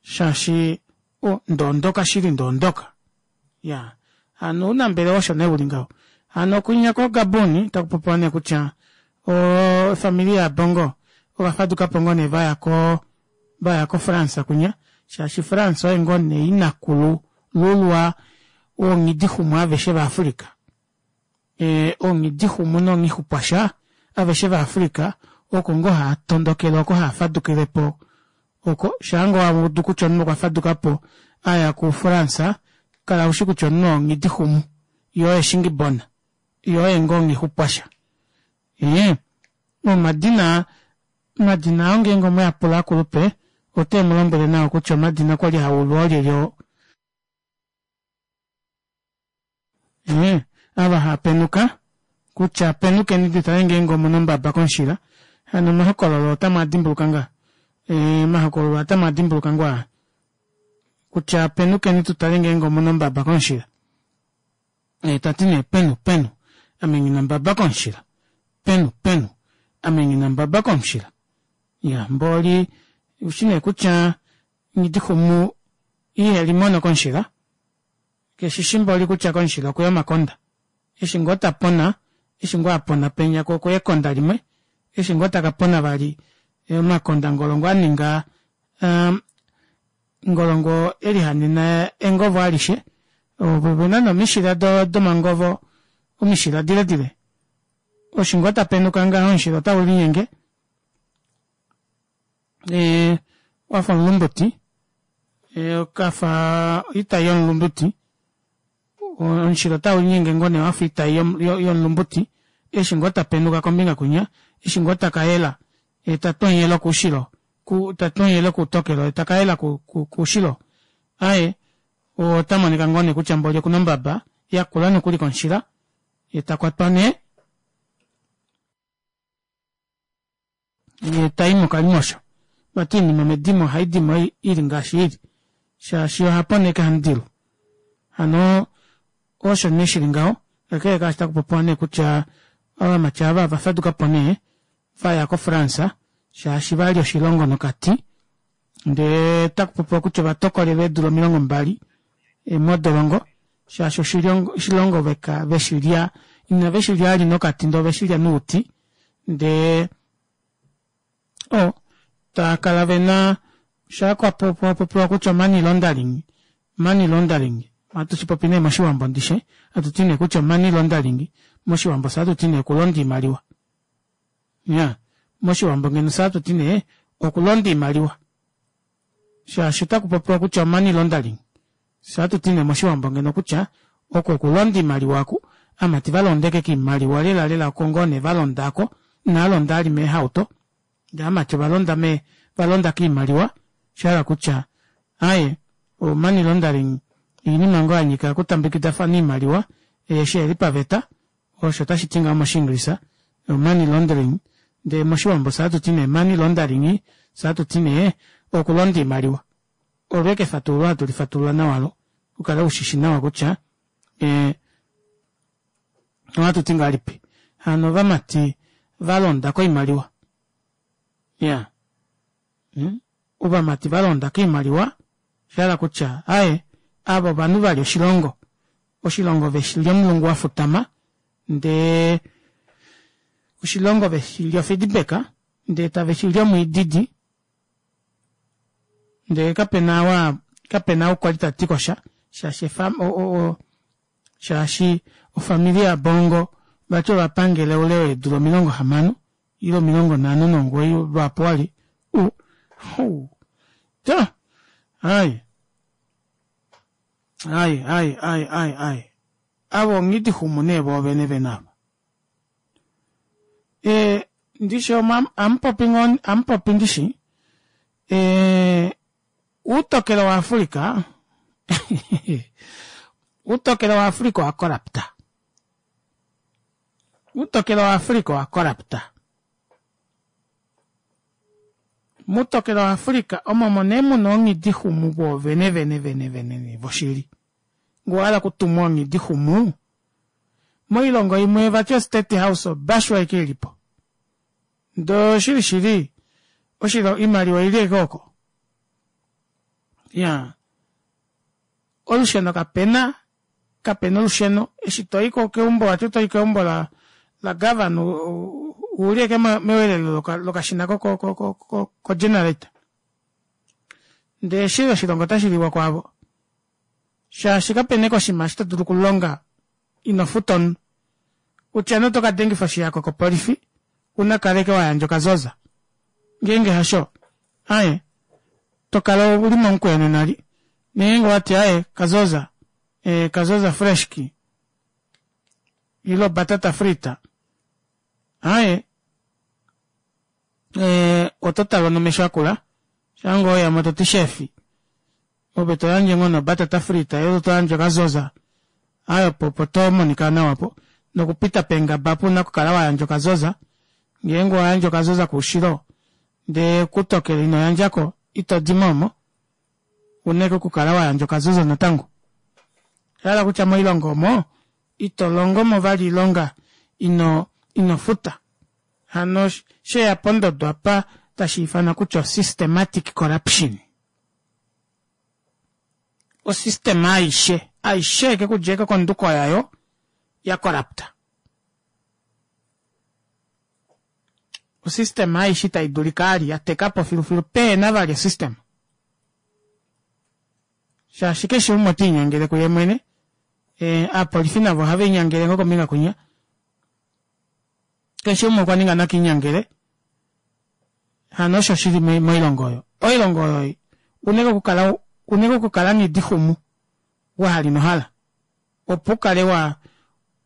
shaashi o ndoondoka shili ndoondoka ya hano ounambelewa osho nee uli ngaho hano kwinya ko Gabon takupopiwa nee kutya ofamili yaBongo ovafadukapo ngoo nee vaya ko vaya ko France kwinya shaashi France oye ngoo nee inakulu lulwa wonghidixumu aveshe vaAfrica ee onghidixumu nonghixupwasha aveshe vaAfrica oko ngoo haatondokele oko haafadukilepo oko shaango waudu kutya omunhu okwa fadukapo aya kuFrance kala ushi kutya omunhu onghidixumu yo oye shingibona yo oye ngoo nghixupwasha ee omadina omadina oo ngeenge omweapula akulupe ote mulombwele nawa kutya omadina kwali haulwa olyelye oo ee ava haapenuka kutya penukeni tutale ngeenge omuna ombaba komushila hano omahokololo otamu adimbuluka ngaa ee omahokololo otamu adimbuluka ngoo aa kutya penukeni tutale ngeenge omuna ombaba komushila ee tati nee penu penu ame nghina ombaba komushila penu penu ame nghina ombaba komushila ya mboli ushi nee kutya nghidixumu ihelimono komushila keshishi mboli kutya komushila okuya omakonda eshi ngoo tapona eshi ngoo apona penya ko okuya ekonda limwe eshi ngoo takapona vali omakonda ngolongo aninga um, ngolongo elihanena engovo alishe ovena nomishila domangovo omishila diledile oshi ngoo tapenuka ngaho omushila otau linyenge ee wafa omulumbuti okafa oitai yomulumbuti omushila otau linyenge ngoo nee wafa oitai yomulumbuti eshi ngoo tapenuka kombinga kwinya eshi ngoo takayela ye tatonyele koushilo tatonyele koutokelo ye takayela koushilo aaye otamonika ngoo nee kutya mboli okuna ombaba yakula nokuli komushila ye takwatwa nee ye tai mokalimosho vati oinima medimo ohaidimo ili ngaashi ili shaashi ohaponeke hamudilu hano osho nee shili ngaho kakele kaashi takupopiwa nee kutya ovamati ava ovafadukapo nee vaya koFrance shaashi vali oshilongo nokati ndee takupopiwa kutya ovatokolelwa eedula omilongo mbali modolongo shaashi oshilongo veka veshilya ina veshilya ali nokati ndee oveshilya nouti ndee o taakala vena shakwapopiwa kutya money laundering money laundering ohatu shipopi nee moshiwambo ndishe hatu ti nee kutya money laundering moshiwambo sa hatu ti nee okulonda iimaliwa ya moshiwambo ngeno sa hatu ti nee okulonda iimaliwa shaashi otakupopiwa kutya money laundering sa hatu ti nee moshiwambo ngeno kutya oko okulonda iimaliwa aku amati valondeke kiimaliwa lela lela oko ngoo nee valondako inaalonda ali meehauto ndee amati ovalonda me valonda kiimaliwa shahala kutya aaye o money laundering oinima ngoo yanyika okutambekidafana iimaliwa eshi eli paveta osho tashi ti ngaho moshiingilisa money laundering ndee moshiwambo sa hatu ti nee money laundering sa hatu ti nee okulonda iimaliwa olweke efatululo hatu lifatulula nawalo ukale ushishi nawa kutya ee ohatu ti ngahelipi hano ovamati va londa koimaliwa. Ya. Hmm? Ovamati va londa koimaliwa, sha hala kutya, aye, ava ovanhu va li oshilongo. Oshilongo ve shi li omulungu wa futama, ndee oshilongo ve shi li ofeedback, ndee tave shi li omwiididi, ndee kapena wa, kapena ou kwali ta ti kosha, shaashi efa, o, o, o, shaashi ofamili yaBongo vati ovapangele oule weedula omilongo hamano ile omilongo nhano nomugoyi lwaapo wali u hu ta ai ai ai ai ai ai avo onghidixumu nee voovene vene ava e ndishi amupopi ngoo amupopi ndishi e uutokelo waAfrica uutokelo waAfrica owa corrupta uutokelo waAfrica owa corrupta muutokelo waAfrica omo nee muna onghidixumu voovene vene vene vene voshili ngee owahala okutumwa onghidixumu moilongo imwe vati o state house obashu aike ilipo ndee oshili shili oshilo oimaliwa oili ashike oko ya olusheno kapena kapena olusheno eshi toyi keumbo vati otoyi keumbo la la governor uli ashike mewelelo lokashina ko ko ko ko generator ndee eshi oshilongo otashi liwa kwaavo shaashi kapena ashike oshinima eshi to dulu okulonga ino futa omunhu kutya nee oto kadengifa oshihako kopolifi una kala ashike wayandja okazoza ngeenge hasho aaye tokala uli momukweyo nena li ngeenge owati aaye kazoza ee kazoza freshki ile batata frita aaye ee oto talwa nomesho akula shaango weyamo toti shefi ove toyandje ngoo nobatata frita ile toyandje okazoza aaye opo opo tomonika nawa po nokupita peengaba opo una okukala wayandja okazoza ngeenge owayandje okazoza koushilo ndee kutokele ino yandjako ito dimo omo una ashike okukala wayandja okazoza natango oshahala kutya moilongo omo ito longomo vali oilonga ino ino futa hano sheya pondodo apa tashi ifanwa kutya systematic corruption osystem aishe aishe eke kudja eke konduko yayo ya corrupta osystem aishe itai dulika ali yatekapo filufilu pehena vali osystem shaashi keshe umwe otiinyangele kuye mwene e, aapolifi navo ohava inyangele ngoo kombinga kunya keshe umwe okwa ninga nakiinyangele hano osho shili moilongo oyo oilongo oyo uneke okukala uneke okukala nghidixumu wahali nohala opo ukale wa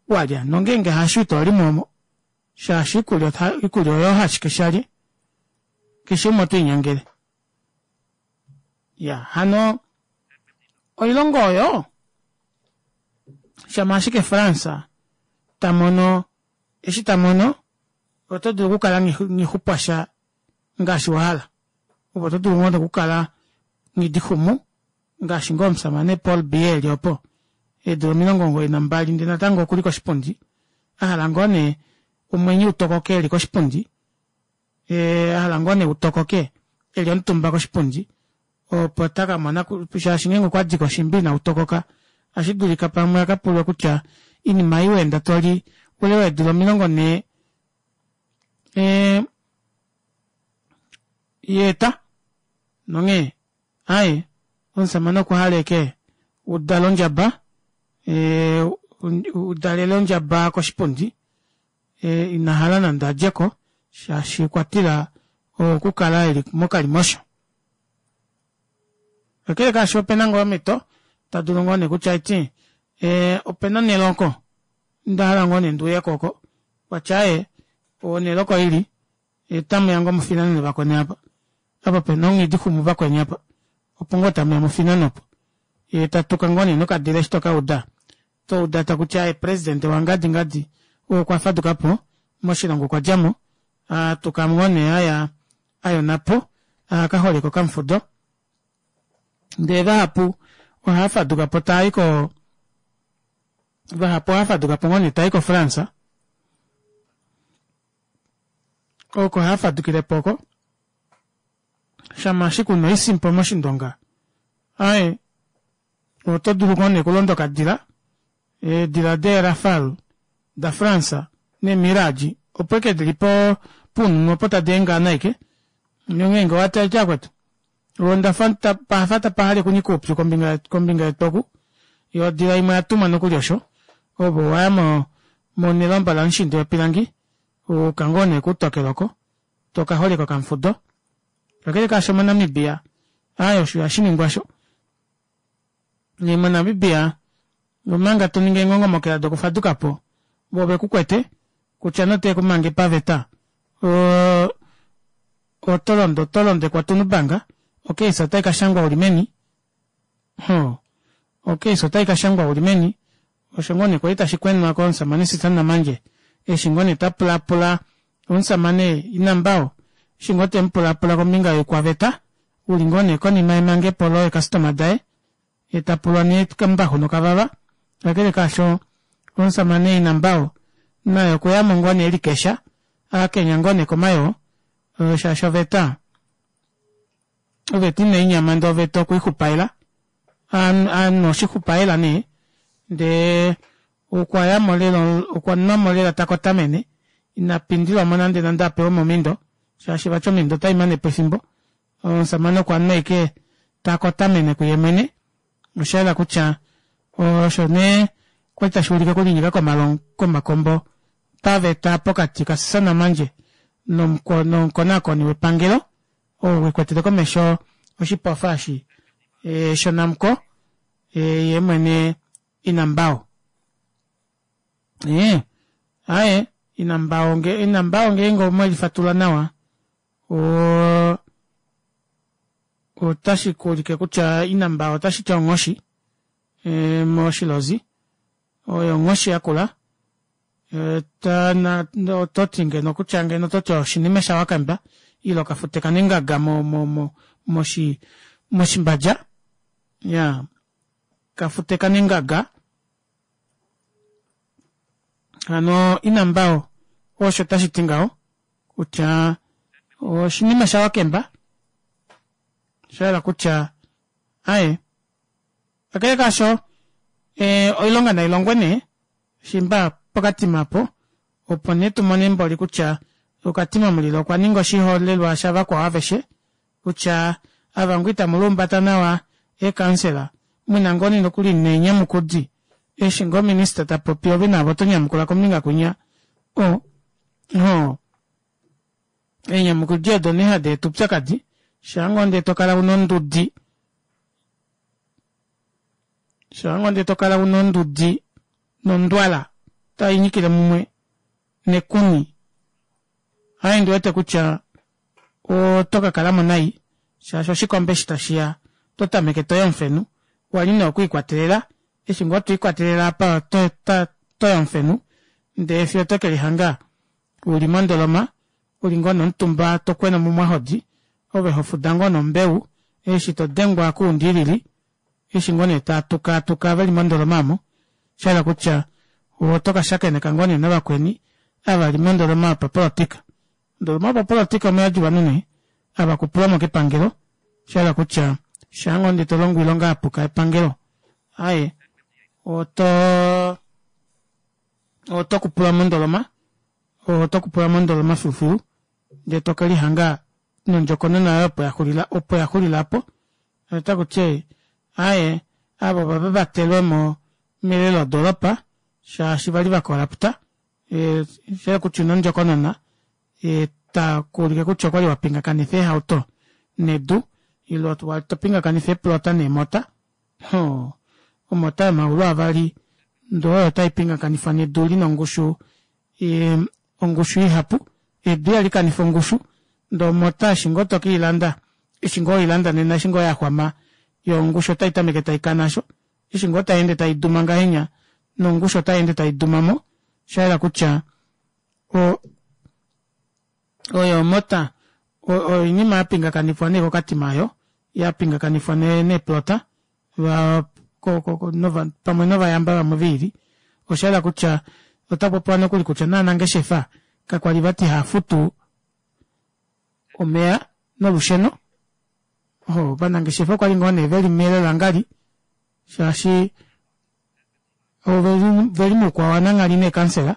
walya nongeenge hasho ito limo omo shaashi iikulya iikulya oyo hashike shalye keshe umwe otiinyangele ya hano oilongo oyo shama ashike France tamono eshi tamono oto dulu okukala nghixupwasha ngaashi wahala opo oto dulu ngoo okukala nghidixumu ngaashi ngoo omusamane Paul Biya eli opo eedula omilongo omugoyi nambali ndee natango okuli koshipundi ahala ngoo nee omwenyo utokoke eli koshipundi ee ahala ngoo nee utokoke eli omutumba koshipundi opo takamona shaashi ngeenge okwadi koshimbi ina utokoka ohashi dulika pamwe akapulwe kutya oinima ei weenda toli oule weedula omilongo nhee ee yeeta nonghee aaye omusamane okwa hala ashike udale ondjaba ee udalele ondjaba koshipundi ee inahala nande adjeko shaashi okwa tila okukala eli mokalimosho kakele kaasho opena ngoo omhito tadulu ngoo nee kutya eti ee opena onhele oko ndahala ngoo nee ndiuyeko oko kwatya aaye onhele oko ili otamuya ngoo mufinane vakweni apa apa pena onghidixumu vakweni apa opo ngoo tamuya mufinane opo yee tatuka ngoo nee nokadila eshi tokauda touda takutya aaye president wangadi ngadi ou okwa fadukapo moshilongo okwa djamo atuka ngoo nee aya ayonapo akaholeka okamufudo ndee vahapu ohava fadukapo taayi ko vahapu ohava fadukapo ngoo nee taayi ko France Oko haafadukilepo oko. Shama ashike una oisimpo moshindonga aaye oto dulu ngoo nee okulonda okadila, eedila dee Rafale da France nee Mirage opo eke dili po puununu opo tadi engaana aike. Onghee ngee owati aike akwetu ondafa pahafa tapa hale okunyika oupyu kombinga kombinga yetu oku yoo odila imwe oyatumwa nokuli osho ove owaya mo nelomba lamushindi wepilangi wayuka ngoo nee kuutokelo oko toka holeka okamufudo kakele kaasho mo Namibia aaye osho ihashiningwa osho nee mo Namibia omanga toningi eengongomokela dokufadukapo voo vekukwete kutya nee otekumange paveta oo oto londo oto londekwa otunubanga ocase otai kashangwa uli meni hoo ocase otai kashangwa uli meni osho ngoo nee kwali tashi kwenwa komusamane Sisa Namandje eshi ngoo nee tapulaapula omusamane Inambao eshi ngoo temupulaapula kombinga yoikwaveta uli ngoo nee konima yemangepo lee customer daye yee tapulwa nee kambaxu nokavava kakele kaasho omusamane Inambao naye okweyamo ngoo nee elikesha akenya ngoo nee komayoo shaashi oveta oveta inainyama ndee oveta okwiixupaela anwa oshixupaela nee ndee okwayamo lela okwanwamo lela takotamene ina pindilwamo nande nande apewe omindo shaashi vati omindo otai manepo efimbo omusamane okwanwa ashike takotamene kuye mwene oshayela kutya osho nee kwali tashuulike okulinyika komakombo paveta pokati ka Sisa Namandje nomukonaakoni wepangelo oo ekwetele komesho oshipofa eshi shoNamcor yeemwene Inambao. Ee, aaye Inambao nge Inambao ngeenge omwelifatula nawa o otashi kuulike kutya Inambao otashi ti onghoshi e, moshilozi oyo onghoshi yakula oto ti ngeno kutya ngeno oto ti oshinima shawakamba ile okafute kanengaga mo mo mo moshi moshimbadja ya kafute kanengaga hano Inambao osho tashi ti ngaho kutya oshinima shawakemba osha kutya aye kakele kaasho e, oilonga nailongwe nee shimba pokatima apo opo nee tumone mboli kutya okatima mulilo okwa ninga oshiholelwa shavakwao aveshe kutya ava ngoo itamu lumbata nawa eekansela muna ngoo nee nokuli neenyamukudi eshi ngoo minista tapopi ove naave oto nyamukula kombinga kwinya o ho eenyamukudi odo nee hadi eta oupyakadi shaa ngoo ndee tokala una ondudi shaa ngoo ndee tokala una ondudi nondwala tai nyikile mumwe nekuni aaye ndiwete kutya oto kakalamo nai shaashi oshikombe eshi tashiya oto tameke toyi omufenu wali nee okwiikwatelela eshi ngoo twiikwatelela apa toyi omufenu ndee fiyo tokelihanga uli mondoloma uli ngoo nomutumba tokwena omumwahodi ove hofuda ngoo nombeu eshi todengwa kuundilili eshi ngoo nee taatukatuka veli mondoloma aamo shahala kutya oto kashakeneka ngoo nee navakweni ava veli mondoloma yopapolotika ondoloma yopapolotika omuyadi ovanhu nee ava kupulwamo kepangelo shahala kutya shaa ngoo ndee tolongo oilonga yapuka yepangelo aaye oto oto kupulwa mondoloma oto kupulwa mondoloma filufilu ndee tokelihanga nondjokonona yoye opo yaxulila opo yaxulila apo otakuti aaye ava ova vavatelwemo melelo lodoropa shaashi vali vakorapta shahala kutya una ondjokonona takuulike kutya okwali wapingakanifa eehauto nedu ile wali topingakanifa eeplota neemota hoo omota yomaulu avali ndee oyo taipingakanifwa nedu lina ongushu ongushu ihapu edu ihali kanifa ongushu ndee omota eshi ngoo tokeilanda eshi ngoo weilanda nena eshi ngoo yaxwama yoo ongushu otaitameke taikana aasho eshi ngoo tayeende taiduma ngahenya nongushu otayeende taidumamo oshayela kutya o oyo omota oinima yapingakanifwa nee kokatima aayo yapingakanifwa neeplota pamwe novayamba vamwe viili oshayela kutya otakupopiwa nokuli kutya naanangeshefa kakwali vati haafutu Omeya nolusheno. Oho, ovanangeshefa okwa li ngoo nee veli melelangali shaashi oveli veli muukwao wananghali neekansela.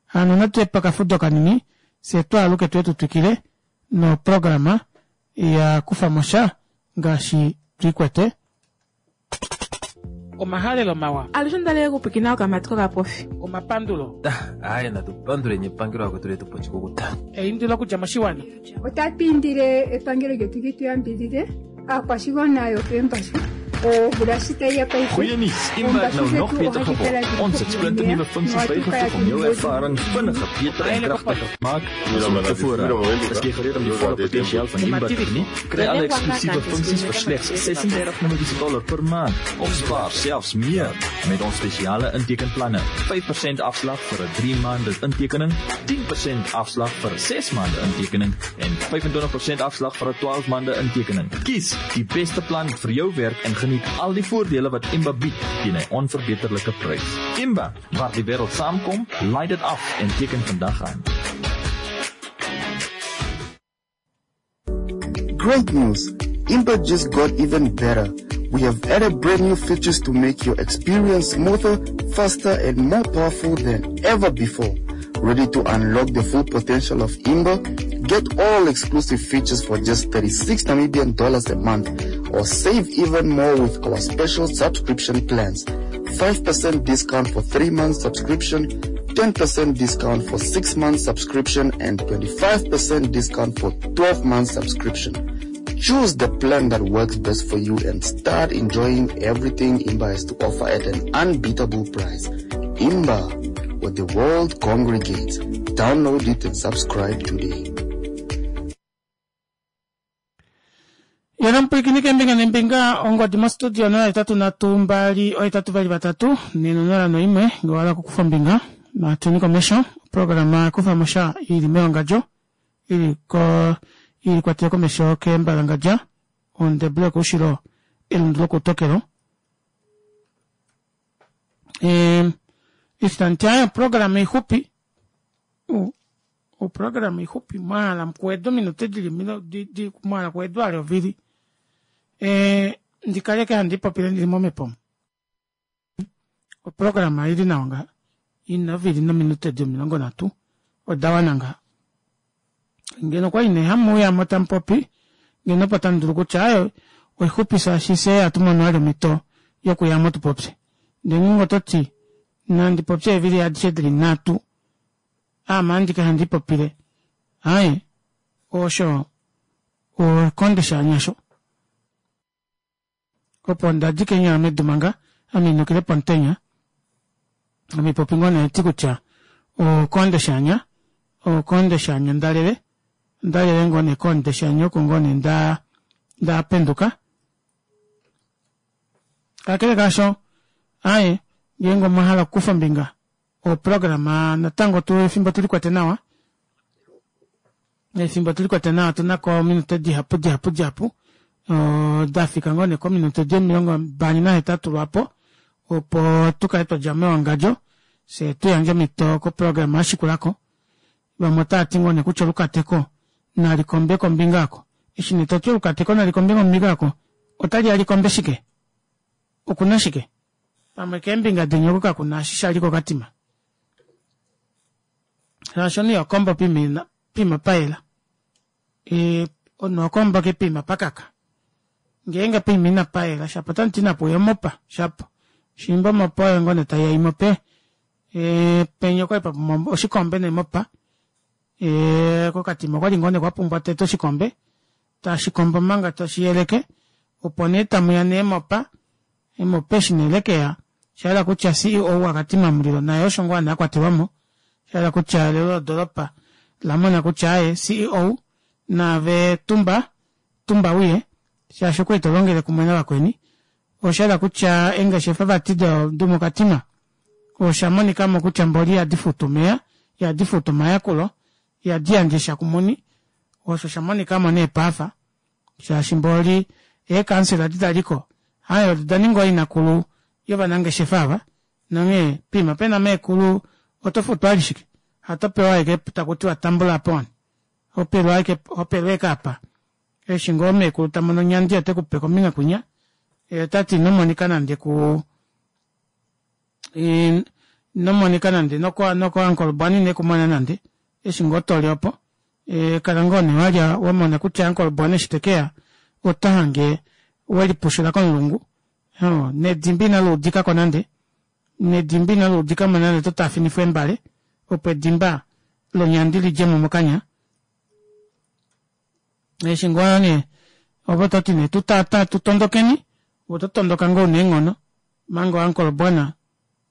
Hano natu ye pakafudo kanini fye twaaluke tuye tu twikile noprograma ya kufamo sha ngaashi twiikwete. Omahalelo mawa. Alushe onda okupwikina okamati kokapofi. Omapandulo. Aye natu panduleni epangelo akwetu letu po oshikukuta. Eindilo okudja moshiwana. Otatu indile epangelo lyetu li tu yambidhidhe aakwashigwana yokeembashu omvula shi tayi ya paife Goeie nuus, Imba het nou nog beter geword. Ons het splinternuwe funksies bygevoeg om jou ervaring vinniger, beter en kragtiger te maak as ooit tevore. Is jy gereed om die volle potensiaal van Imba te geniet? Kry alle eksklusiewe funksies vir slegs ses-en-dertig Namibiese dollar per maand of spaar selfs meer met ons spesiale intekenplanne. vyf persent afslag vir 'n drie maande intekening, tien persent afslag vir 'n ses maande intekening en vyf-en-twintig persent afslag vir 'n twaalf maande intekening. Kies die beste plan vir jou werk en geniet al die voordele wat Imba bied teen 'n onverbeterlike prys. Imba, waar die wêreld saamkom, laai dit af en teken vandag aan. Great news! Imba just got even better. We have added brand new features to make your experience smoother, faster, and more powerful than ever before. Ready to unlock the full potential of Imba? Get all exclusive features for just thirty-six Namibian dollars a month, or save even more with our special subscription plans. five percent discount for three months subscription, ten percent discount for six months subscription, and twenty-five percent discount for twelve months subscription. Choose the plan that works best for you and start enjoying everything Imba has to offer at an unbeatable price. Imba, where the world congregates. Download it and subscribe today. Yena mpwilikini kembinga nembinga ongodi mostudio nola etatu nhatu mbali ohetatu vali vatatu nenonola noimwe ngee owa hala okukufa ombinga natuni komesho oprograma kufamo sha ili mewangandjo ili ko ili kwatele komesho kembalangadja ondebule yokoushilo elundu lokoutokelo. E, istanti ayo oprograma ixupi oprograma ixupi mwahala mukuweda ominute dili milo di, di, mwahala kuwedwa ale ovili. E, ndikaleke handi popile ndili momepo. Oprograma ili nawa nga ina ovili nominute di omilongo nhatu oda wana nga. Ngeno kwali nee hamuuyamo tamupopi ngeno opo tamudulu kutya ayo oixupi shaashi fyee ihatu mono vali omhito yokuyamo tupopye. Ndee ngeenge ototi nandi popye eevili adishe dili nhatu aame andike handi popile aaye osho okonde shaanyasho. Opo ndadi keenyala medu manga ame inukile pomutenya ame popi ngoo nee ti kutya okonde shaanya okonde shaanya ndalele ndalele ngoo nee konde shaanya oko ngoo nee nda ndapenduka. Kakele kaasho aaye ngeenge omwa hala okukufa ombinga oprograma natango tu efimbo tulikwete nawa efimbo tulikwete nawa tunako ominute dihapu dihapu dihapu dafika ngoo nee kominute di omilongo mbali nahetatu lwaapo opo tukale twadja mewangadjo fye tuyandje omhito koprograma yashikulako. Vamwe otavati ngoo nee kutya olukateko nalikombe kombinga oko. Eshi nee toti olukateko nalikombe kombinga oko otali ya likombe shike? Okuna shike? Pamwe keembinga deni oko kakuna eshi shali kokatima. Shaashi omunhu iho pima pima payela. E, omunhu oho ke pima pakaka. Ngeenge poima ina payela shapo otamuti inapuuya omopa shapo. Shimba omopa oyo ngoo nee taiya imope. E, penya okwali papumbwa oshikombe nemopa. E, kokatima okwali ngoo nee kwapumbwa tete oshikombe. Tashikombo manga tashiyeleke. Opo nee tamuya neemopa. Emopa eshi nee lekeya. Shahala kutya C E O wakatima mulilo naye osho ngoo ana akwatelwamo. Shahala kutya elelo lodoropa lamona kutya aye C E O naave tumba tumba uye shaashi okwali tolongele kumwe navakweni. Oshahala kutya eengeshefa vati domokatima osha monikamo kutya mboli ihadi futu omeya, ihadi futu omayakulo, ihadi yandje sha kumuni. Osho shamonikamo nee paafa shaashi mboli eekansela edi daliko aye oda ninga oinakulu yovanangeshefa ava nonghee pima pena meekulu oto futwa ali shike hato pewa ashike takutiwa tambula po wani. Hopelwa ashike hopelwa ashike apa. Eshi ngoo meekulu ta mono onyandi ote ku pe kombinga kwinya. Ye ota ti ino monika nande ku ino monika nande noko noko uncle Bwani ine kumona nande eshi ngoo toli opo e, kala ngoo nee walya wa mona kutya uncle Bwani eshi tekeya ota hange welipushula komulungu oh, nedimba inali udikako nande nedimba inali udikamo nande to taafinifwa embale opo edimba lonyandi lidjemo mokanya eshi ngoo nee ovo toti nee tutata tutondokeni ove oto tondoka ngoo una eenghono omanga uncle Bwana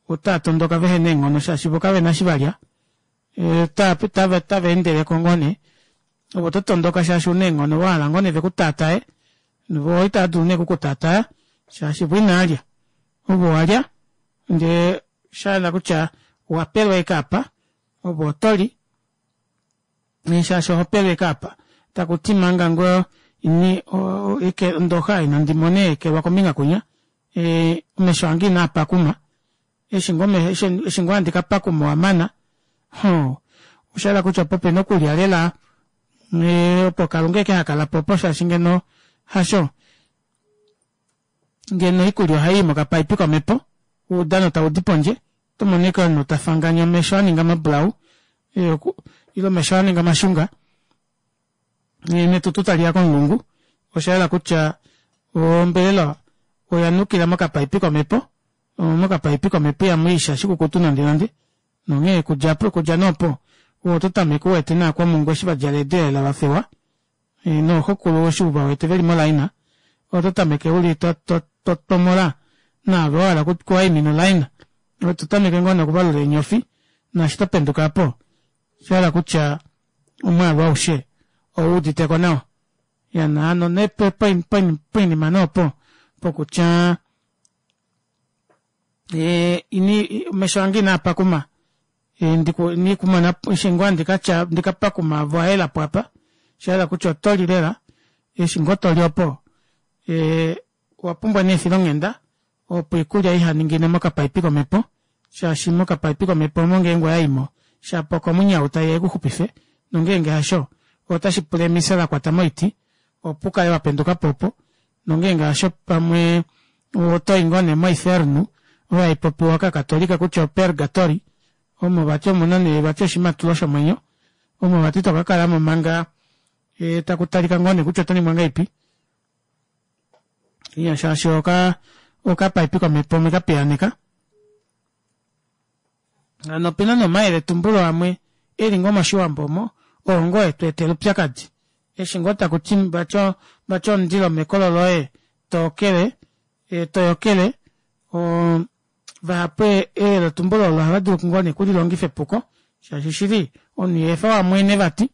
otaa tondoka vehena eenghono shaashi vo kavena eshi valya e, tava tava endeleko ngoo nee ove oto tondoka shaashi una eenghono wahala ngoo nee vekutaataye vo itava dulu nee okukutaataya shaashi vo inaalya ove owalya ndee shahala kutya owapelwa ashike apa ove otoli shaashi oho pelwa ashike apa takuti manga ngoo ini ondoxa inandi mona eekelwa kombinga kwinya e, omesho ange inaa pakuma eshi ngoo eshi ngoo handi kapakuma owamana ho oshahala kutya opo pena okulya lela opo kalunga eke hakalapo opo shaashi ngeno hasho ngeno oikulya ohayi mokapaipi komepo oudano taudi pondje oto mono ashike omunhu tafanganya omesho aninga mabulau ile omesho aninga mashunga netutu taliya komulungu oshayela kutya ombelela oya nukila mokapaipi komepo mokapaipi komepo ihamu i sha shikukutu nande nande nonghee okudja okudja nee opo oto tameke uwete naakwamungu eshi vadjala eedelela vafewa nooxokulu eshi uvawete veli molaina oto tameke uli to to to tomola naave wahala okuwaimina olaina oto tameke ngoo nee okuvalula eenyofi naashi topenduka apo oshahala kutya omwaalu aushe owuuditeko nawa ya hano nee poinima nee opo pokutya e, ini omesho ange inaa pakuma inikumona eshi ngoo handikatya ndikapakuma avo ayelapo apa shahala kutya otoli lela eshi ngoo toli opo e, owapumbwa nee efilonghenda opo oikulya ihaningine mokapaipi komepo shaashi mokapaipi komepo omo ngeenge oyaimo shapo okomunyau taiya ikuxupife nongeenge hasho otashi pula emisa lakwata moiti opo ukale wapendukapo opo nongeenge hasho pamwe otoyi ngoo nee moinferno oyo haipopiwa kakatolika kutya opurgatory omo vati omuna nee vati oshimatulo shomwenyo omo vati tokakalamo manga e, taku talika ngoo nee kutya oto ningwa ngahelipi iya shaashi oka okapaipi komepo omwe kapiyaaneka hano opena nee omayeletumbulo amwe eli ngoo moshiwambo omo oo ngoo etu etela upyakadi eshi ngoo takuti vati vati omundilo mekolo loye tookele e, toyokele o vahapu eyeletumbulo olo ohava dulu ngoo nee okulilongifa epuko shaashi shili omunhu iha wamwene vati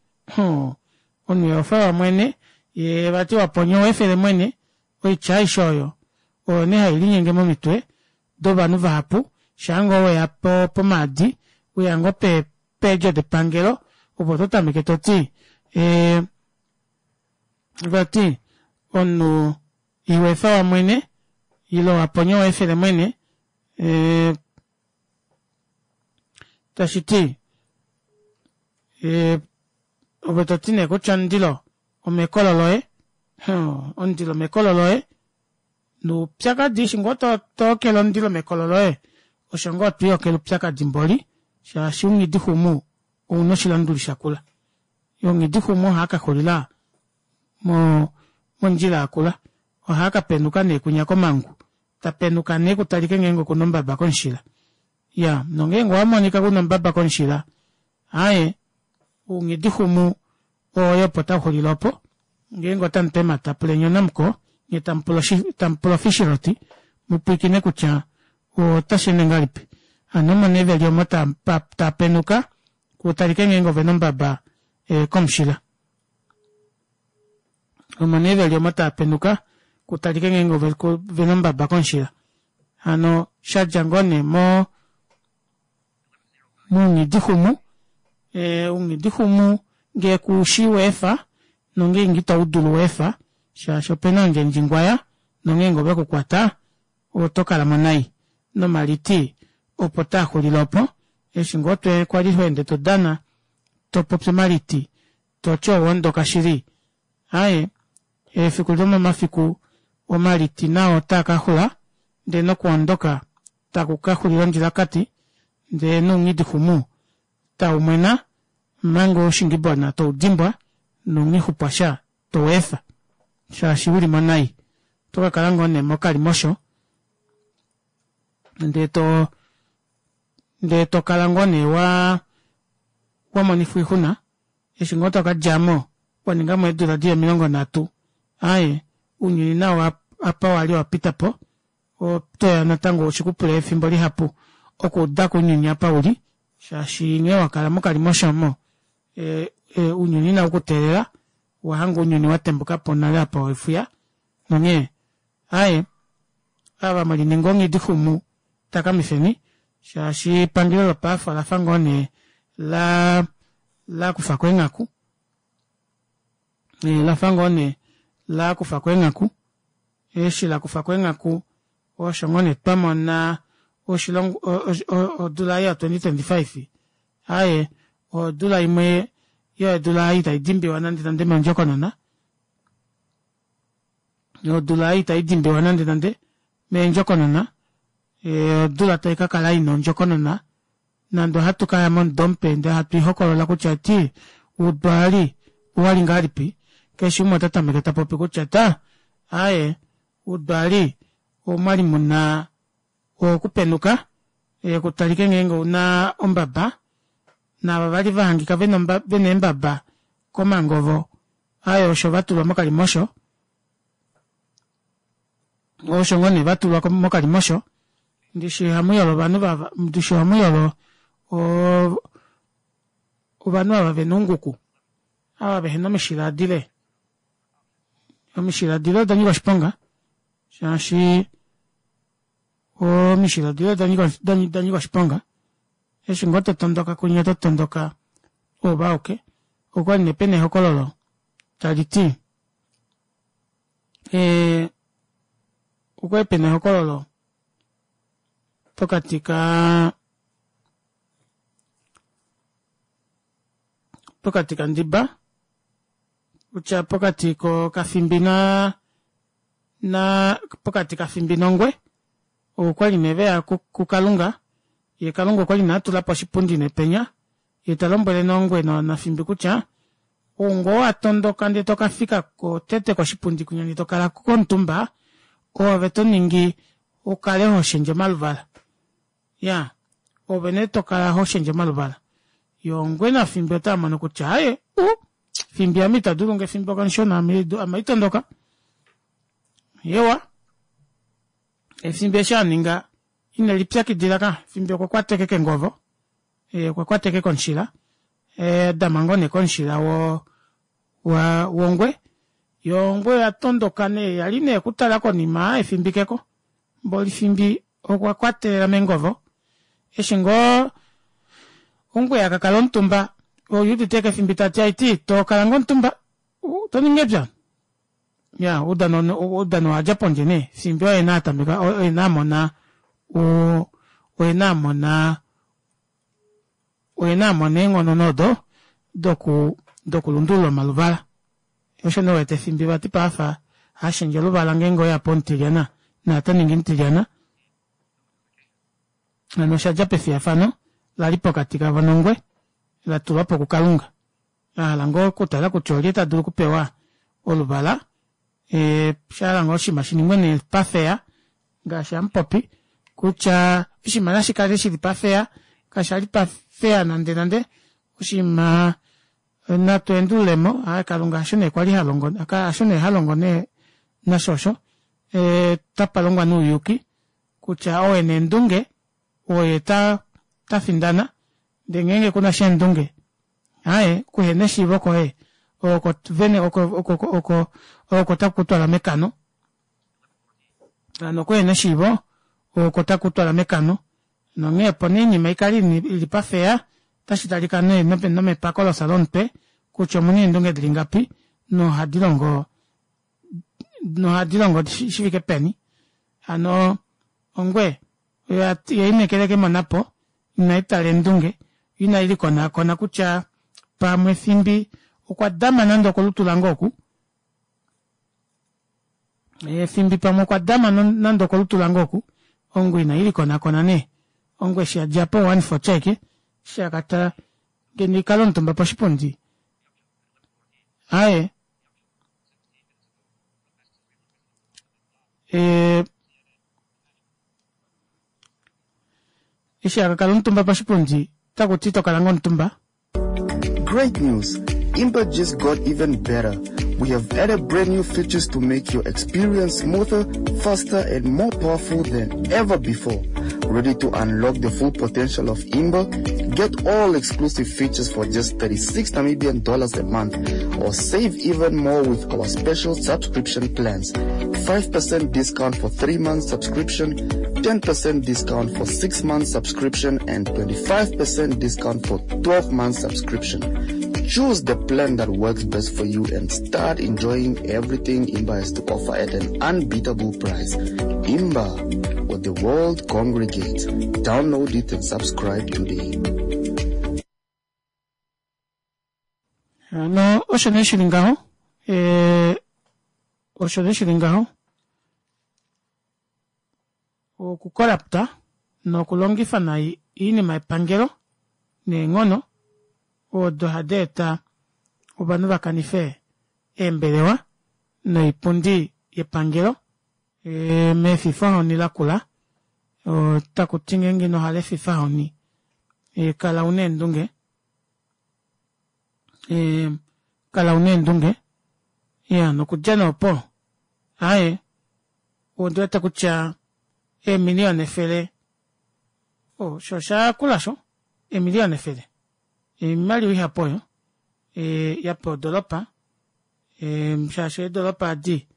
omunhu iha wamwene ye vati waponya owefele mwene oitya aishe oyo oyo nee hailinyenge momitwe dovanhu vahapu shaa ngoo weya po pomaadi weya ngoo pe peedjo depangelo opo to tameke toti e, vati omunhu iwefa wamwene ile waponya owefele mwene e, tashiti e, ove toti nee kutya omundilo omekolo loye omundilo omekolo loye noupyakadi eshi ngoo tookele omundilo mekolo loye osho ngoo twiiyokele upyakadi mboli shaashi unghidixumu ouna oshilanduli shakula onghidixumu ohaa kaxulila mo mondjila yakula ohaa kapenuka nee kwinya komangu tapenuka nee kutalike ngeenge okuna ombaba komushila ya nongeenge owamonika kuna ombaba komushila aaye ounghidixumu oyo opo tauxulile opo ngeenge otamupe emata puleni onamuko nye tamupula ofishiroti mupwiikine kutya otashiende ngahelipi hano omo nee veli omo tapenuka kutalike ngeenge ovena ombaba e, komushila omo nee veli omo taapenuka kutalike ngeenge ovena ombaba komushila hano shadja ngoo nee mo mounghidixumu e, ounghidixumu ngee kushi weefa nongeenge ito dulu weefa shaashi opena ondjendjingwaya nongeenge ovekukwata oto kalamo nai nomaliti opo taaxulile opo eshi ngoo kwali tweende todana topopi omaliti Toti owa ondoka shili. Aaye, efiku lomomafiku omaliti nao otaa ka xula, ndee nokuondoka taku ka xulila ondjilakati, ndee nounghidixumu tau mwena omanga oushingibona tou dimbwa nounghixupwasha tou efa shaashi uli mo nai. Oto ka kala ngoo nee mokalimosho ndee to ndee to kala ngoo nee wa wamonifwa oixuna eshi ngoo toka djamo wa ninga mo eedula dili omilongo nhatu. Aaye, ounyuni nao apa wali wapita po otoya natango shikupule efimbo lihapu okuudako ounyuni apa uli shaashi nghee wakala mokalimosho omo e, e, ounyuni inau kuteelela wahanga ounyuni watembukapo nale apa wefuya nonghee aaye ava mwelininga onghidixumu takamifeni shaashi epangelo lopaife olafa ngoo nee la lakufako eenghaku e, lafa ngoo nee lakufako eenghaku eshi lakufako eenghaku osho ngoo nee twamona oshilongo odula ya twenty twenty five aaye odula imwe yeedula ei itaidimbiwa nande nande mondjokonona odula ei itaidimbiwa nande nande meendjokonona odula tai ka kala ina ondjokonona nande ohatu kaya momudo mupe ndee hatu ihokolola kutya ti udwali owali ngahelipi keshe umwe ota tameke ta popi kutya ta aaye udwali omwali muna okupenuka kutalike ngeenge ouna ombaba naava vali vahangika vena eembaba komangovo aaye osho vatulwa mokalimosho osho ngoo nee vatulwa mokalimosho ndishi hamuyolo ovanhu vava ndishi hamuyolo ovanhu ava vena ounguku ava vehena omishila dile omishila dile oda nyika oshiponga shaashi omishila dile oda nyika oshiponga eshi ngoo totondoka kunya oto tondoka ove auke okwali nee pena ehokololo tali ti ee okwali pena ehokololo pokati ka pokati kandiba kutya pokati kokafimbi na na pokati kafimbi nongwe okwali nee veya kukalunga ye kalunga okwali nee atulapo oshipundi nepenya ye talombwele nongwe nafimbi kutya ou ngoo watondoka ndee tokafika tete koshipundi kwinya ndee tokala komutumba oove toningi ukale hoshendje omaluvala ya ove nee tokala hoshendje omaluvala yo ongwe nafimbi otaamono kutya aaye u fimbi ame itadulu nge fimbi okamushona ame itondoka yewa efimbi eshi aninga ine lipyakidila ka fimbi okwa kwateke kengovo okwa kwateke komushila dama ngoo nee komushila wo wa wongwe yo ongwe oya tondoka nee yali nee okutala konima efimbi keko mboli fimbi okwa kwatelela mengovo eshi ngoo ongwe yakakala omutumba oyuudite kefimbi tati aiti tokala ngoo omutumba toningi epya ya oudano oudano wadja pondje nee fimbi oye na atameka oye na amona oye na amona oye na amona eenghono nodo doku dokulundulula omaluvala osho nee wete fimbi vati paafa hashendje oluvala ngeenge oyapo omutilyana naata ningi mutilyana hano oshadja pefiyafano lali pokati kavo nongwe latulwapo kukalunga ahala ngoo okutala kutya olye tadulu okupewa oluvala e, shahala ngoo oshinima shiningwe nee pafeya ngaashi hamupopi kutya oshinima nashikale shili pafeya kashali pafeya nande nande oshinima natu endululemo aaye kalunga hasho nee kwali halongo hasho nee halongo nee nasho osho e, tapalongwa nouyuki kutya oo ena eendunge oye ta tafindana ndee ngeenge kuna sha eendunge aaye kuhena eshiivo koye oko vene oko oko oko oko taku kutwala mekano hano kuhena eshiivo oko taku kutwala mekano nonghee opo nee oinima ikale ili pafeya otashi talika nee nomepako lomutwe kutya omuna eendunge dili ngapi nohadi longo nohadi longo shifike peni hano ongwe oya kemonapo inai tala eendunge inai likonakona kutya pamwe fimbi Okwa dama nande okolutu lange oku. Efimbi pamwe okwa dama nande okolutu lange oku. Ongwe ina ili konakona nee. Ongwe eshi ya dja po one four check. Eshi akatala ngeno ikala omutumba poshipundi. Aye. E, eshi akakala omutumba poshipundi taku ti tokala ngoo omutumba. Great news! Imba just got even better. We have added brand new features to make your experience smoother, faster, and more powerful than ever before. Ready to unlock the full potential of Imba? Get all exclusive features for just thirty-six Namibian dollars a month, or save even more with our special subscription plans. five percent discount for three months subscription, ten percent discount for six months subscription, and twenty-five percent discount for twelve months subscription. Choose the plan that works best for you and start enjoying everything Imba has to offer at an unbeatable price. Imba, where the world congregates. Download it and subscribe today. No, osho nee shili ngaho. Eh, osho nee shili ngaho. Okukorapta nokulongifa nai iinima yepangelo neenghono odo hadi eta ovanhu va kanife eembelewa noipundi yepangelo e, mefifahoni lakula. Otaku ti ngeenge ino hala efifahoni, e, kala una eendunge. E, kala una eendunge. Ya, nokudja noopo. Aye, ondi wete kutya eemiliyona efele, o, sho osha kula sho, eemiliyona efele. Oimaliwa ihapu oyo, e, ya pewa odoropa, e, shaashi eedoropa adi,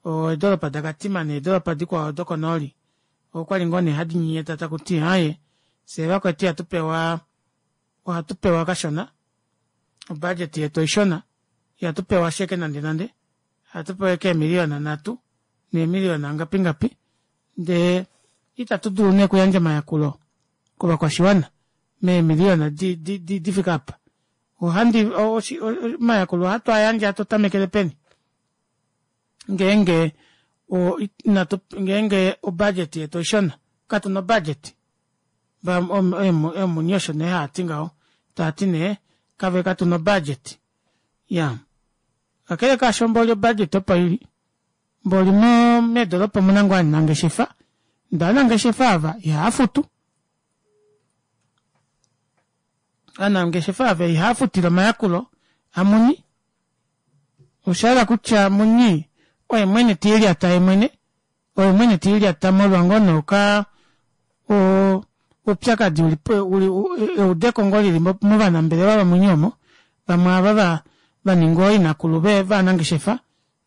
eedoropa daKatima needoropa dikwao dokonooli, okwali ngoo nee hadi nyenyeta taku ti, aye, fyee vakwetu ihatu pewa, ohatu pewa kashona, obudget yetu oishona, ihatu pewa sheke nande nande, ohatu pewa ashike eemiliyona nhatu, neemiliyona ngapi ngapi, ndee itatu dulu nee okuyandja omayakulo kovakwashiwana meemiliyona di, di, di, di fika apa. Ohandi, omayakulo ohatu a yandje hatu tamekele peni? Ngeenge o, inatu, ngeenge obudget yetu oishona, katu na obudget. Eemuni osho nee haati ngaho, taati nee kave katu na obudget. Ya. Kakele kaasho mboli obudget opo ili, mboli mo meedoropa omuna ngoo ovanangeshefa, ndee ovanangeshefa ava ihava futu. Ovanangeshefa ava ihava futile omayakulo amuni. Osha hala kutya muni oye mwene te lilyata ye mwene, oye mwene te lilyata molwa ngoo nee oka o oupyakadi uli uli eudeko ngoo lili movanambelewa vamuni omo, vamwe ava va vaningwa ooinakulu vanangeshefa,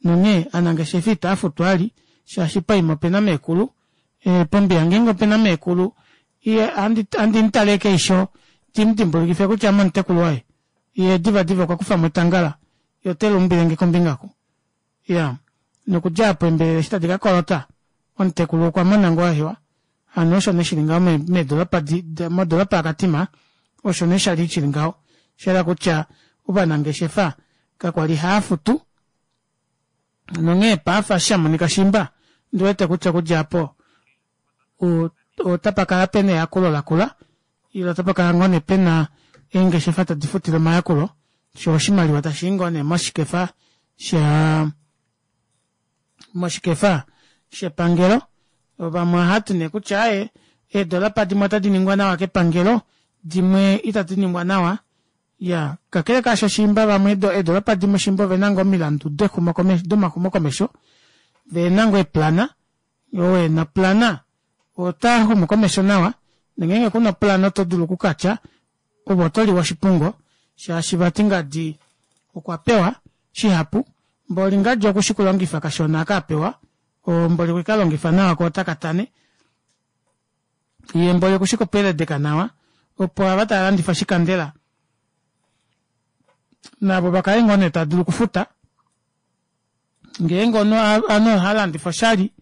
nonghee ovanangeshefa itava futu vali shaashi paima opena meekulu, e, pombiya ngeenge opena meekulu, ye andi mutale keisho timudimbulukife kutya ame omutekulu waye, ye diva diva okwa kufamo etangala, ye ote luumbilenge kombinga ku. Ya, nokudja apo embelela eshi tadi ka kolota, omutekulu okwa mona ngoo ahewa. Hano osho nee shili ngaho meedoropa modoropa yaKatima, osho nee shali shili ngaho. Osha kutya ovanangeshefa kakwali hava futu, nonghee paafa eshi sha monika shimba, ndi wete kutya okudja apo otapa kala pena eyakulo lakula, ile otapa kala ngoo nee pena eengeshefa tadi futile omayakulo, sho oshimaliwa tashi i ngoo nee moshikefa sha moshikefa shepangelo. Vamwe ohati nee kutya aye, eedoropa dimwe otadi ningwa nawa kepangelo, dimwe itadi ningwa nawa. Ya, kakele kaasho shimba vamwe eedoropa dimwe shimba ovena ngoo omilandu domaxumokomesho, vena ngoo eeplana, oo ena oplana ota xumu komesho nawa, nongeenge kuna oplana oto dulu okukatya ove oto liwa oshipungo, shaashi vati ngadi okwa pewa shihapu, mboli ngadi okushi kulongifa kashona aka apewa, mboli okwe kalongifa nawa ko otaka tane, ye mboli okushi kupeledeka nawa, opo ava tava landifa oshikandela navo vakale ngoo nee tava dulu okufuta. Ngeenge ovanhu oha landifa oshali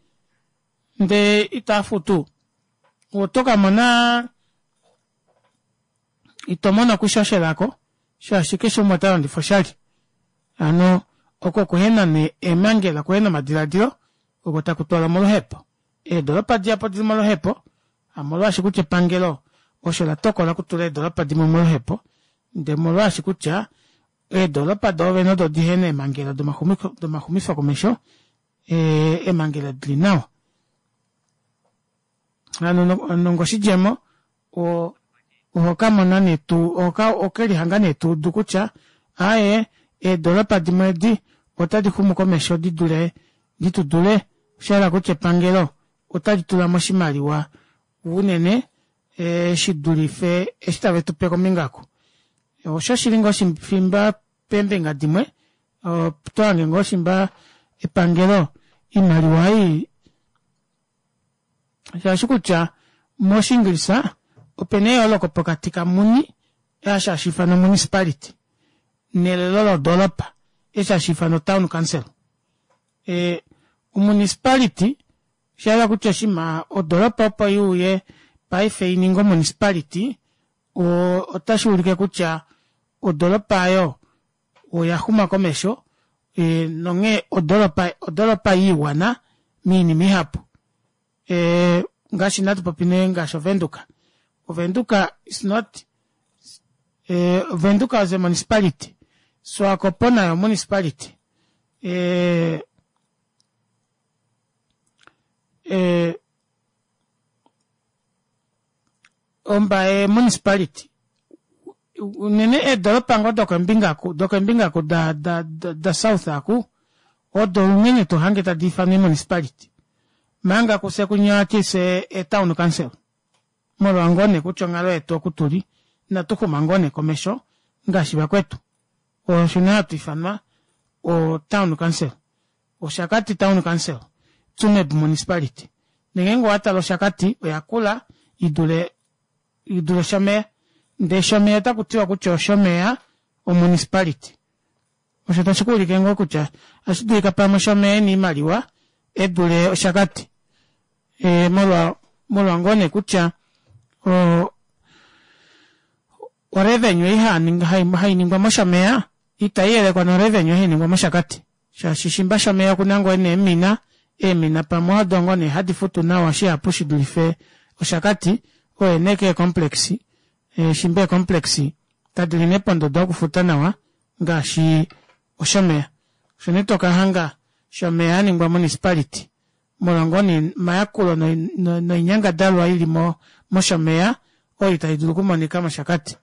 ndee ita futu, oto ka mona ito mono okushoshela ko, shaashi keshe umwe ota landifa oshali. Hano oko kuhena nee eemangela, kuhena omadilaadilo oko taku twala moluhepo. Eedoropa dihapu odili moluhepo hamolwaashi kutya epangelo osho latokola okutula eedoropa dimwe moluhepo, ndee omolwaashi kutya eedoropa doovene odo dihena eemangela domaxumifo komesho, eemangela dili nawa. Hano nongoshidjemo ohokamona nee tuu okelihanga nee tuudu kutya aaye eedoropa dimwe edi otadi xumu komesho didule ditudule, oshahala kutya epangelo otali tulamo oshimaliwa unene shidulife eshi tave tupe kombinga oku. Osho shili ngoo shimba peembinga dimwe otohange ngoo shimba epangelo oimaliwa ei shaashi kutya moshingilisa opena eyooloko pokati kamuni eshi hashiifanwa municipality nelelo lodoropa eshi hashiifanwa town council. Ee omunicipality oshahala kutya oshiima odoropa opo iuye paife ininge omunicipality otashuulike kutya odoropa aayo oyaxuma komesho nonghee odoropa odoropa yiiwana moinima ihapu. Ee ngaashi natupopi nee ngaashi ovenduka, ovenduka is not ovenduka is a municipality, swakop nayo omunicipality ee ee Ombaye municipality unene eedoropa ngoo dokombinga oku dokombinga oku da da da south aku odo unene tohange tadi ifanwa eemunicipality omanga kufye kunya ohatu fye etown council molwa ngoo nee kutya onghalo yetu oku tuli inatu xuma ngoo nee komesho ngaashi vakwetu osho nee hatu ifanwa o town council. Oshakati town council, Tsumeb municipality. Ngeenge owatale Oshakati oyakula idule idule Oshomeya ndee Shomeya otakutiwa kutya Oshomeya omunicipality osho tashi kuulike ngoo kutya ohashi dulika pamwe Shomeya ena oimaliwa edule Oshakati ee molwa molwa ngoo nee kutya o orevenue ei hainingwa moshomeya ita iyelekwa norevenue hainingwa moshakati shaashi shimba shomeya okuna ngoo nee eemina, eemina pamwe odo ngoo nee hadi futu nawa shihapu shidulife Oshakati oyo nee keecomplex shimba eecomplex kadili nee pondodo yokufuta nawa ngaashi Oshomeya. Osho nee tokahanga Shomeya aningwa municipality molwa ngoo nee omayakulo noinyangadalwa ili mOshomeya oyo itayi dulu okumonika mOshakati.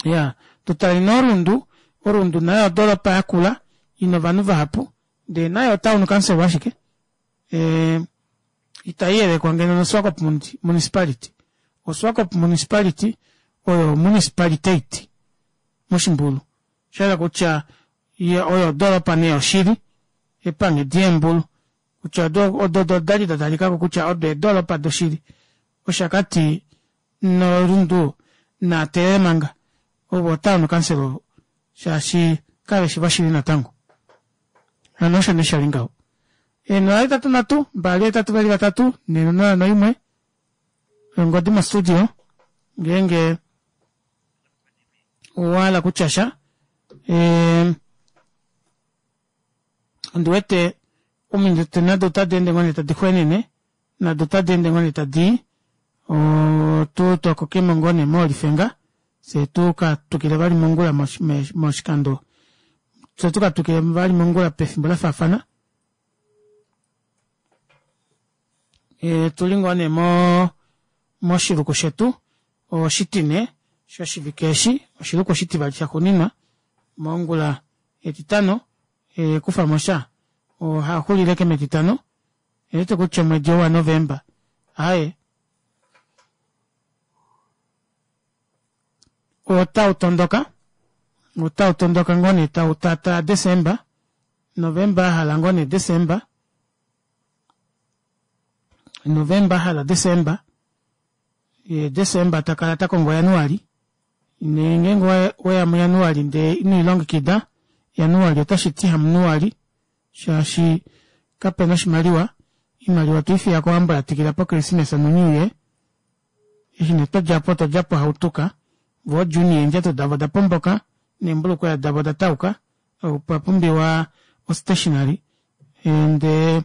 Iyaa tutale nee Orundu, Orundu nayo odoropa yakula ina ovanhu vahapu ndee nayo otown council ashike ee itaiyelekwa ngeno noSwakopmund municipality. OSwakop municipality oyo municipalitate moshimbulu oshahala kutya oyo odoropa nee yoshili epanghedi yeembulu kutya odo odali datalikako kutya odo eedoropa doshili. Oshakati noRundu naatelele manga ovo otown council ovo shaashi kaveshi voshili natango. Hano osho nee shali ngaho. Eenhola hetatu nhatu mbali hetatu vali vatatu nhee nonola noimwe ongodi mostudio ngeenge owahala kutya sha ee ondiwete ominute nado otadi ende ngoo nee tadi xwenene nado otadi ende ngoo nee tadii otu tokokemo ngoo nee moolifenga fyee tuka twikile vali mongula moshikando fyee tuka twikile vali mongula pefimbo lafaafana otuli ngoo nee mo moshiluku shetu oshitine shoshivike eshi oshiluku oshitivali shaxuuninwa mongula etitano kufamosha ohaxulile ashike metitano Ondiwete kutya omwedi ou waNovemba aaye otau tondoka otau tondoka ngoo nee tau taataa Desemba, Novemba ahala ngoo nee Desemba, Novemba ahala Desemba yee Desemba takala takongo Januali nee ngeenge oweya muJanuali ndee ino lilongekida Januali otashiti hamunuali shaashi kapena oshimaliwa, oimaliwa otweifiya kowambo yatikila po christmas no new year eshi nee twodjapo otwa djapo hautuka voo juni eendjato davo oda pomboka Neembulukweya davo oda tauka, opwa pumbiwa ostationery ndee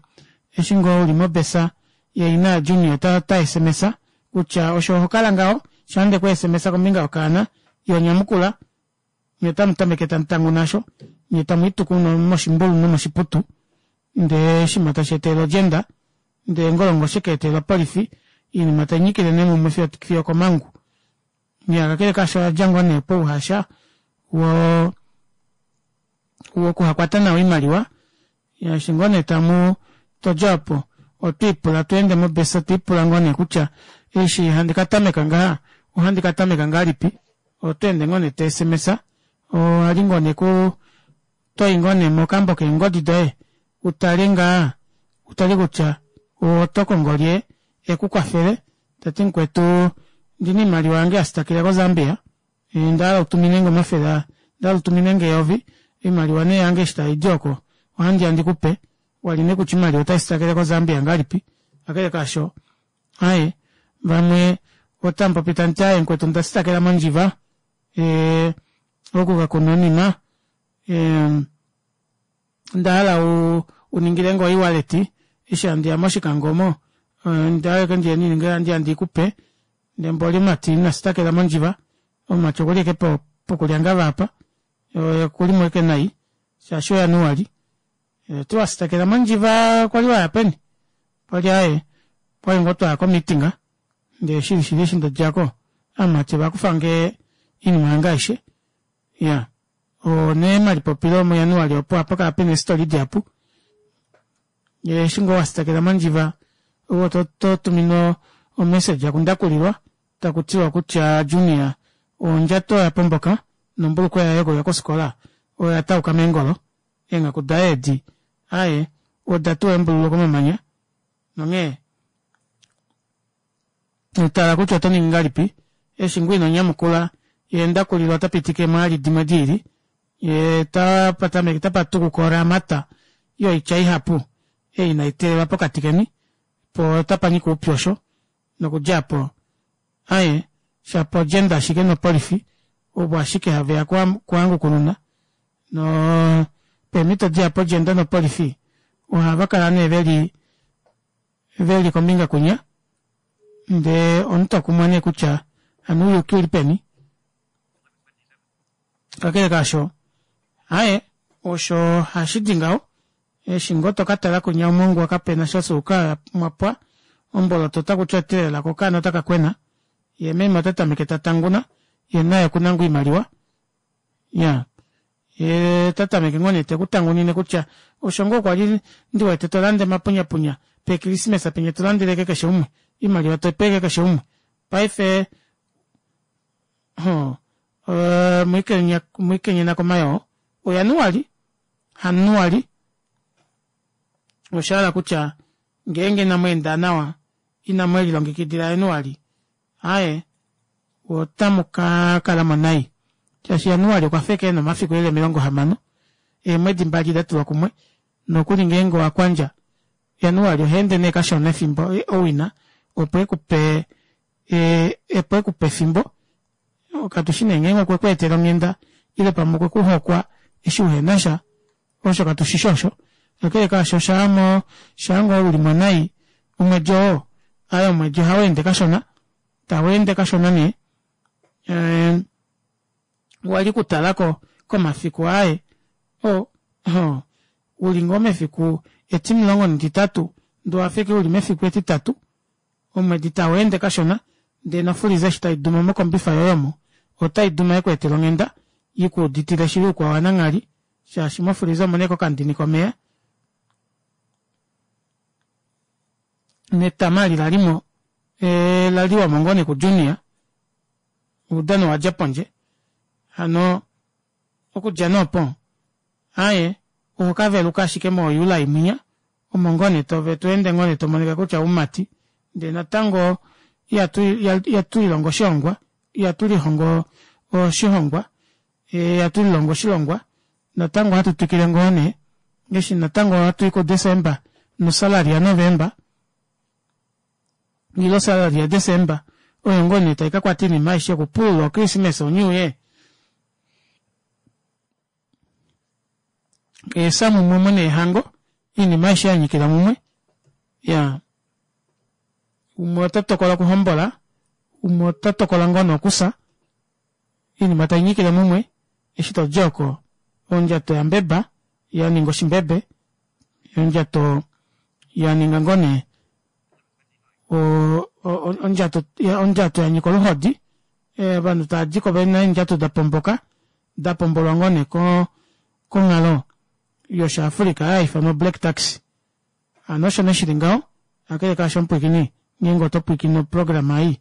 eshi ngoo uli mobesa ye ina yaJunior ota ota S M S kutya osho oho kala ngaho shaa nde ku S M S kombinga yokaana iho nyamukula, nye otamu tameke tamu tanguna osho nyee tamu ituku moshimbulu nomoshiputu ndee oshinima tashi etelele odjenda ndee ngolongoshe ka etelela opolifi oinima tainyikile nee mumwe fiyo okomangu. Iya kakele kaasho oyadja ngoo nee pouhasha woo wokuhakwata nawa oimaliwa eshi ngoo nee tamu todja opo otwiipula tweende mobesa twiipula ngoo nee kutya eshi handi katameka ngaha ohandi katameka ngahelipi otweende ngoo nee to S M S owali ngoo nee kuu toyi ngoo nee mokambo keengodi doye utale ngaa utale kutya oto kongo lye ekukwafele tati mukwetu ondina oimaliwa yange yasitakila ko Zambia ondahala utuminenge omafele ondahala utuminenge eyovi oimaliwa nee yange eshi taidi oko ohandiya ndikupe wali nee kutya oimaliwa otaisitakele ko Zambia ngahelipi kakele kaasho aaye vamwe otamupopi tamuti aaye mukwetu onda sitakela mondjiva ee oku kakuna oinima ee ondahala uningilenge o e-wallet eshi handiya moshikango omo ondahala ndiye ndikupe ndee mboli omumati ina sitakela mondjiva omumati okuli ashike pokulyangava aapa okulimo ashike nai shaashi oJanuali oti wasitakela mondjiva kwali waya peni okwali aaye okwali ngoo twaya ko meeting ndee shili shili eshi ndadjako ovamati ovakufange oinima yange aishe iyaa oo nee omalipopilo muJanuali opo ohapakala pena eestori dihapu eshi ngoo wasitakela mondjiva ove ototuminwa omessage kundakulilwa takutiwa kutya Junior ondjato oya pomboka nombulukweya yoye yokuya kofikola oya tauka meengolo eenghaku daye edi aaye oda tuwa eembululu komamanya nonghee tala kutya oto ningi ngahelipi eshi ngoo ino nyamukula yee ndakulilwa ota pitike mwaali dimwe diili yee tapatameke tapatukuka oramata yoitya ihapu ei inaiteelelwa pokati keni poo otapanyika oupyu osho nokudja aapo aaye shapo odjenda ashike nopolifi ovo ashike haveya kuhangukununa noo peemito dihapu odjenda nopolifi ohava kala nee veli veli kombinga kwinya ndee omunhu tokumwa nee kutya hano ouyuki ouli peni kakele kaasho aaye osho hashidi ngaho eshi ngoo tokatala kwinya omongwa kapena sha osuuka mwapwa omboloto otakuti otelela ko okaana otaka kwena yee meme ota tameke tatanguna yee naye okuna ngoo oimaliwa iyaa yee ota tameke ngoo nee tekutangunine kutya osho ngoo kwali ndiwete tolanda omapunyapunya peekrismesa penya tolandele ashike keshe umwe oimaliwa tope ashike keshe umwe paife hoo mwiikenyena komayoo oJanuali hanuali oshahala kutya ngeenge inamweenda nawa inamwelilongekidila Januali aaye otamu kakalamo nai shaashi Januali okwafa ashike ena omafiku eli omilongo hamano eemwedi mbali datulwa kumwe nokuli ngeenge owakwandja Januali ohaende nee kashona efimbo owina opo ekupe opo ekupe efimbo katushi nee ngeenge okwe kweetela onghenda ile pamwe okwe kuhokwa eshi uhenasha osho katushishi osho kakele kaasho shaamo shaangoo ulimo nai omwedi oo aaye omwedi ohaweende kashona taweende kashona nee wali kutalako komafiku aaye oo uli ngoo mefiku etimulongo netitatu ndee owafa ashike uli mefiku etitatu omwedi taweende kashona ndee nofuliza eshi taiduma mokombifa yoye omo otaiduma yekweetela onghenda ikuuditile shili oukwao wananghali shaashi mofuliza omuna ashike okandini komeva netama eli lalimo laliwamo ngoo nee ku junior oudano owadja pondje hano okudja nee opo aaye ohokaveluka ashike mo July mwinya omo ngoo nee tweende ngoo nee tomonika kutya oumati ndee natango ihatu lilongo oshihongwa ihatu lihongo oshihongwa ihatu lilongo oshilongwa natango ohatu twikile ngoo nee eshi natango ohatui ku December nosalary ya November ile osalary ya December oyo ngoo nee taikakwata oinima aishe okupulula, ochristmas, o new year. Eesa mumwe omo neehango oinima aishe yanyikila mumwe ya umwe ota tokola okuhombola umwe ota tokola ngoo nee okusa oinima tainyikile mumwe eshi todi oko ondjato yambeba yaninga oshimbebe ondjato yaninga ngoo nee ondjato ondjato yanyika oluhodi ovanhu tavadiko vena eendjato dapomboka dapombolwa ngoo nee konghalo yosha Africa haifanwa black tax hano osho nee shili ngaho kakele kaasho omupwiikini ngeenge oto pwiikine oprograma ei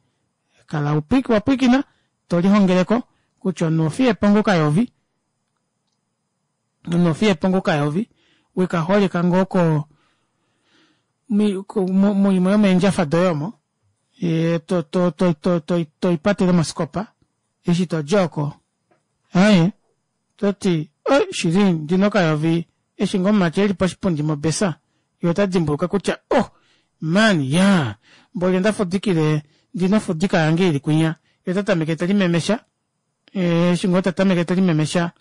kala wapwiikina tolihongeleko kutya omunhu ofiyepo ngoo kayovi omunhu ofiyepo ngoo kayovi wekaholeka ngoo ko muimwe yomeendjafa doye omo to to to to toipatele moskopa eshi todi oko aaye toti shili ndina okayovi eshi ngoo omumati eli poshipundi mobesa yee ota dimbuluka kutya oh man yaa mboli ondafudikile ndina ofudika yange ili kwinya yee otatameke telimemesha eshi ngoo tatameke telimemesha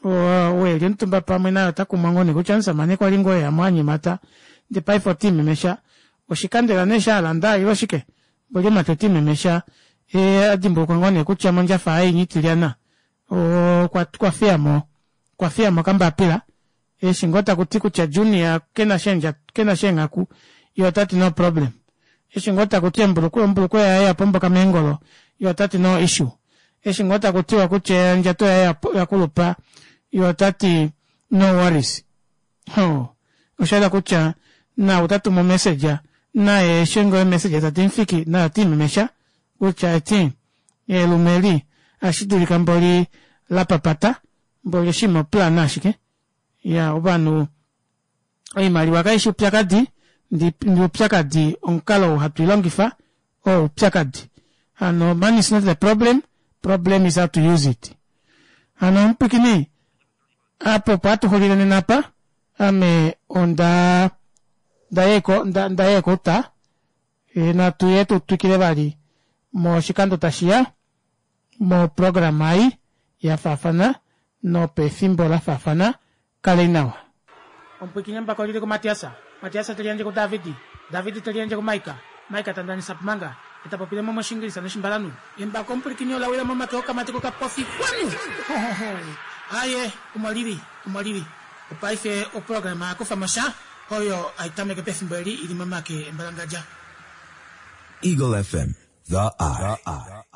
ou eli omutumba pamwe naye otakumwa ngoo nee kutya omushamane kwali ngoo eyamo anyemata ndee paife otiimemesha oshikandela nee eshi alanda ile oshike mboli omumati otiimemesha yee adimbulukwa ngoo nee kutya mondjafa yaye inya itilyana okwafiyamo okwafiyamo okambapila eshi ngoo takuti kutya junior kenasha kenasha eenghaku yee otati no problem eshi ngoo takuti ombulukweya yaye yapomboka meengolo yee otati no issue eshi ngoo takutiwa kutya ondjato yaye yakulupa yee otati no worries ho oshayela kutya nau tatumu omessage naye eshi ngoo emessage tadi mufiki naye otiimemesha kutya eti elume eli ohashi mboli lapapata mboli oshinima oplan ashike iya ovanhu oimaliwa kaishi oupyakadi ndi oupyakadi omukalo ou hatu ilongifa oo oupyakadi hano money is not the problem problem is how to use it hano omupwiikini apa opo hatuxulile nena apa ame onda ndaya kouta natuye tutwikile vali moshikando tashiya moprograma ei yafaafana nopefimbo lafaafana kalei nawa omupwiikini embako olili kumatiasa matiasa teliyandje kudavidi davidi teliyandje kumaika maika tandanisa pumanga etapopile mo moshingilisa noshimbalanhu embako omupwilikini olawila momake okamati kokapofi kwanu aye omo lili omo lili opaife oprograma yakufamo sha oyo haitameke pefimbo eli ili momake embalangadja Eagle F M, the eye.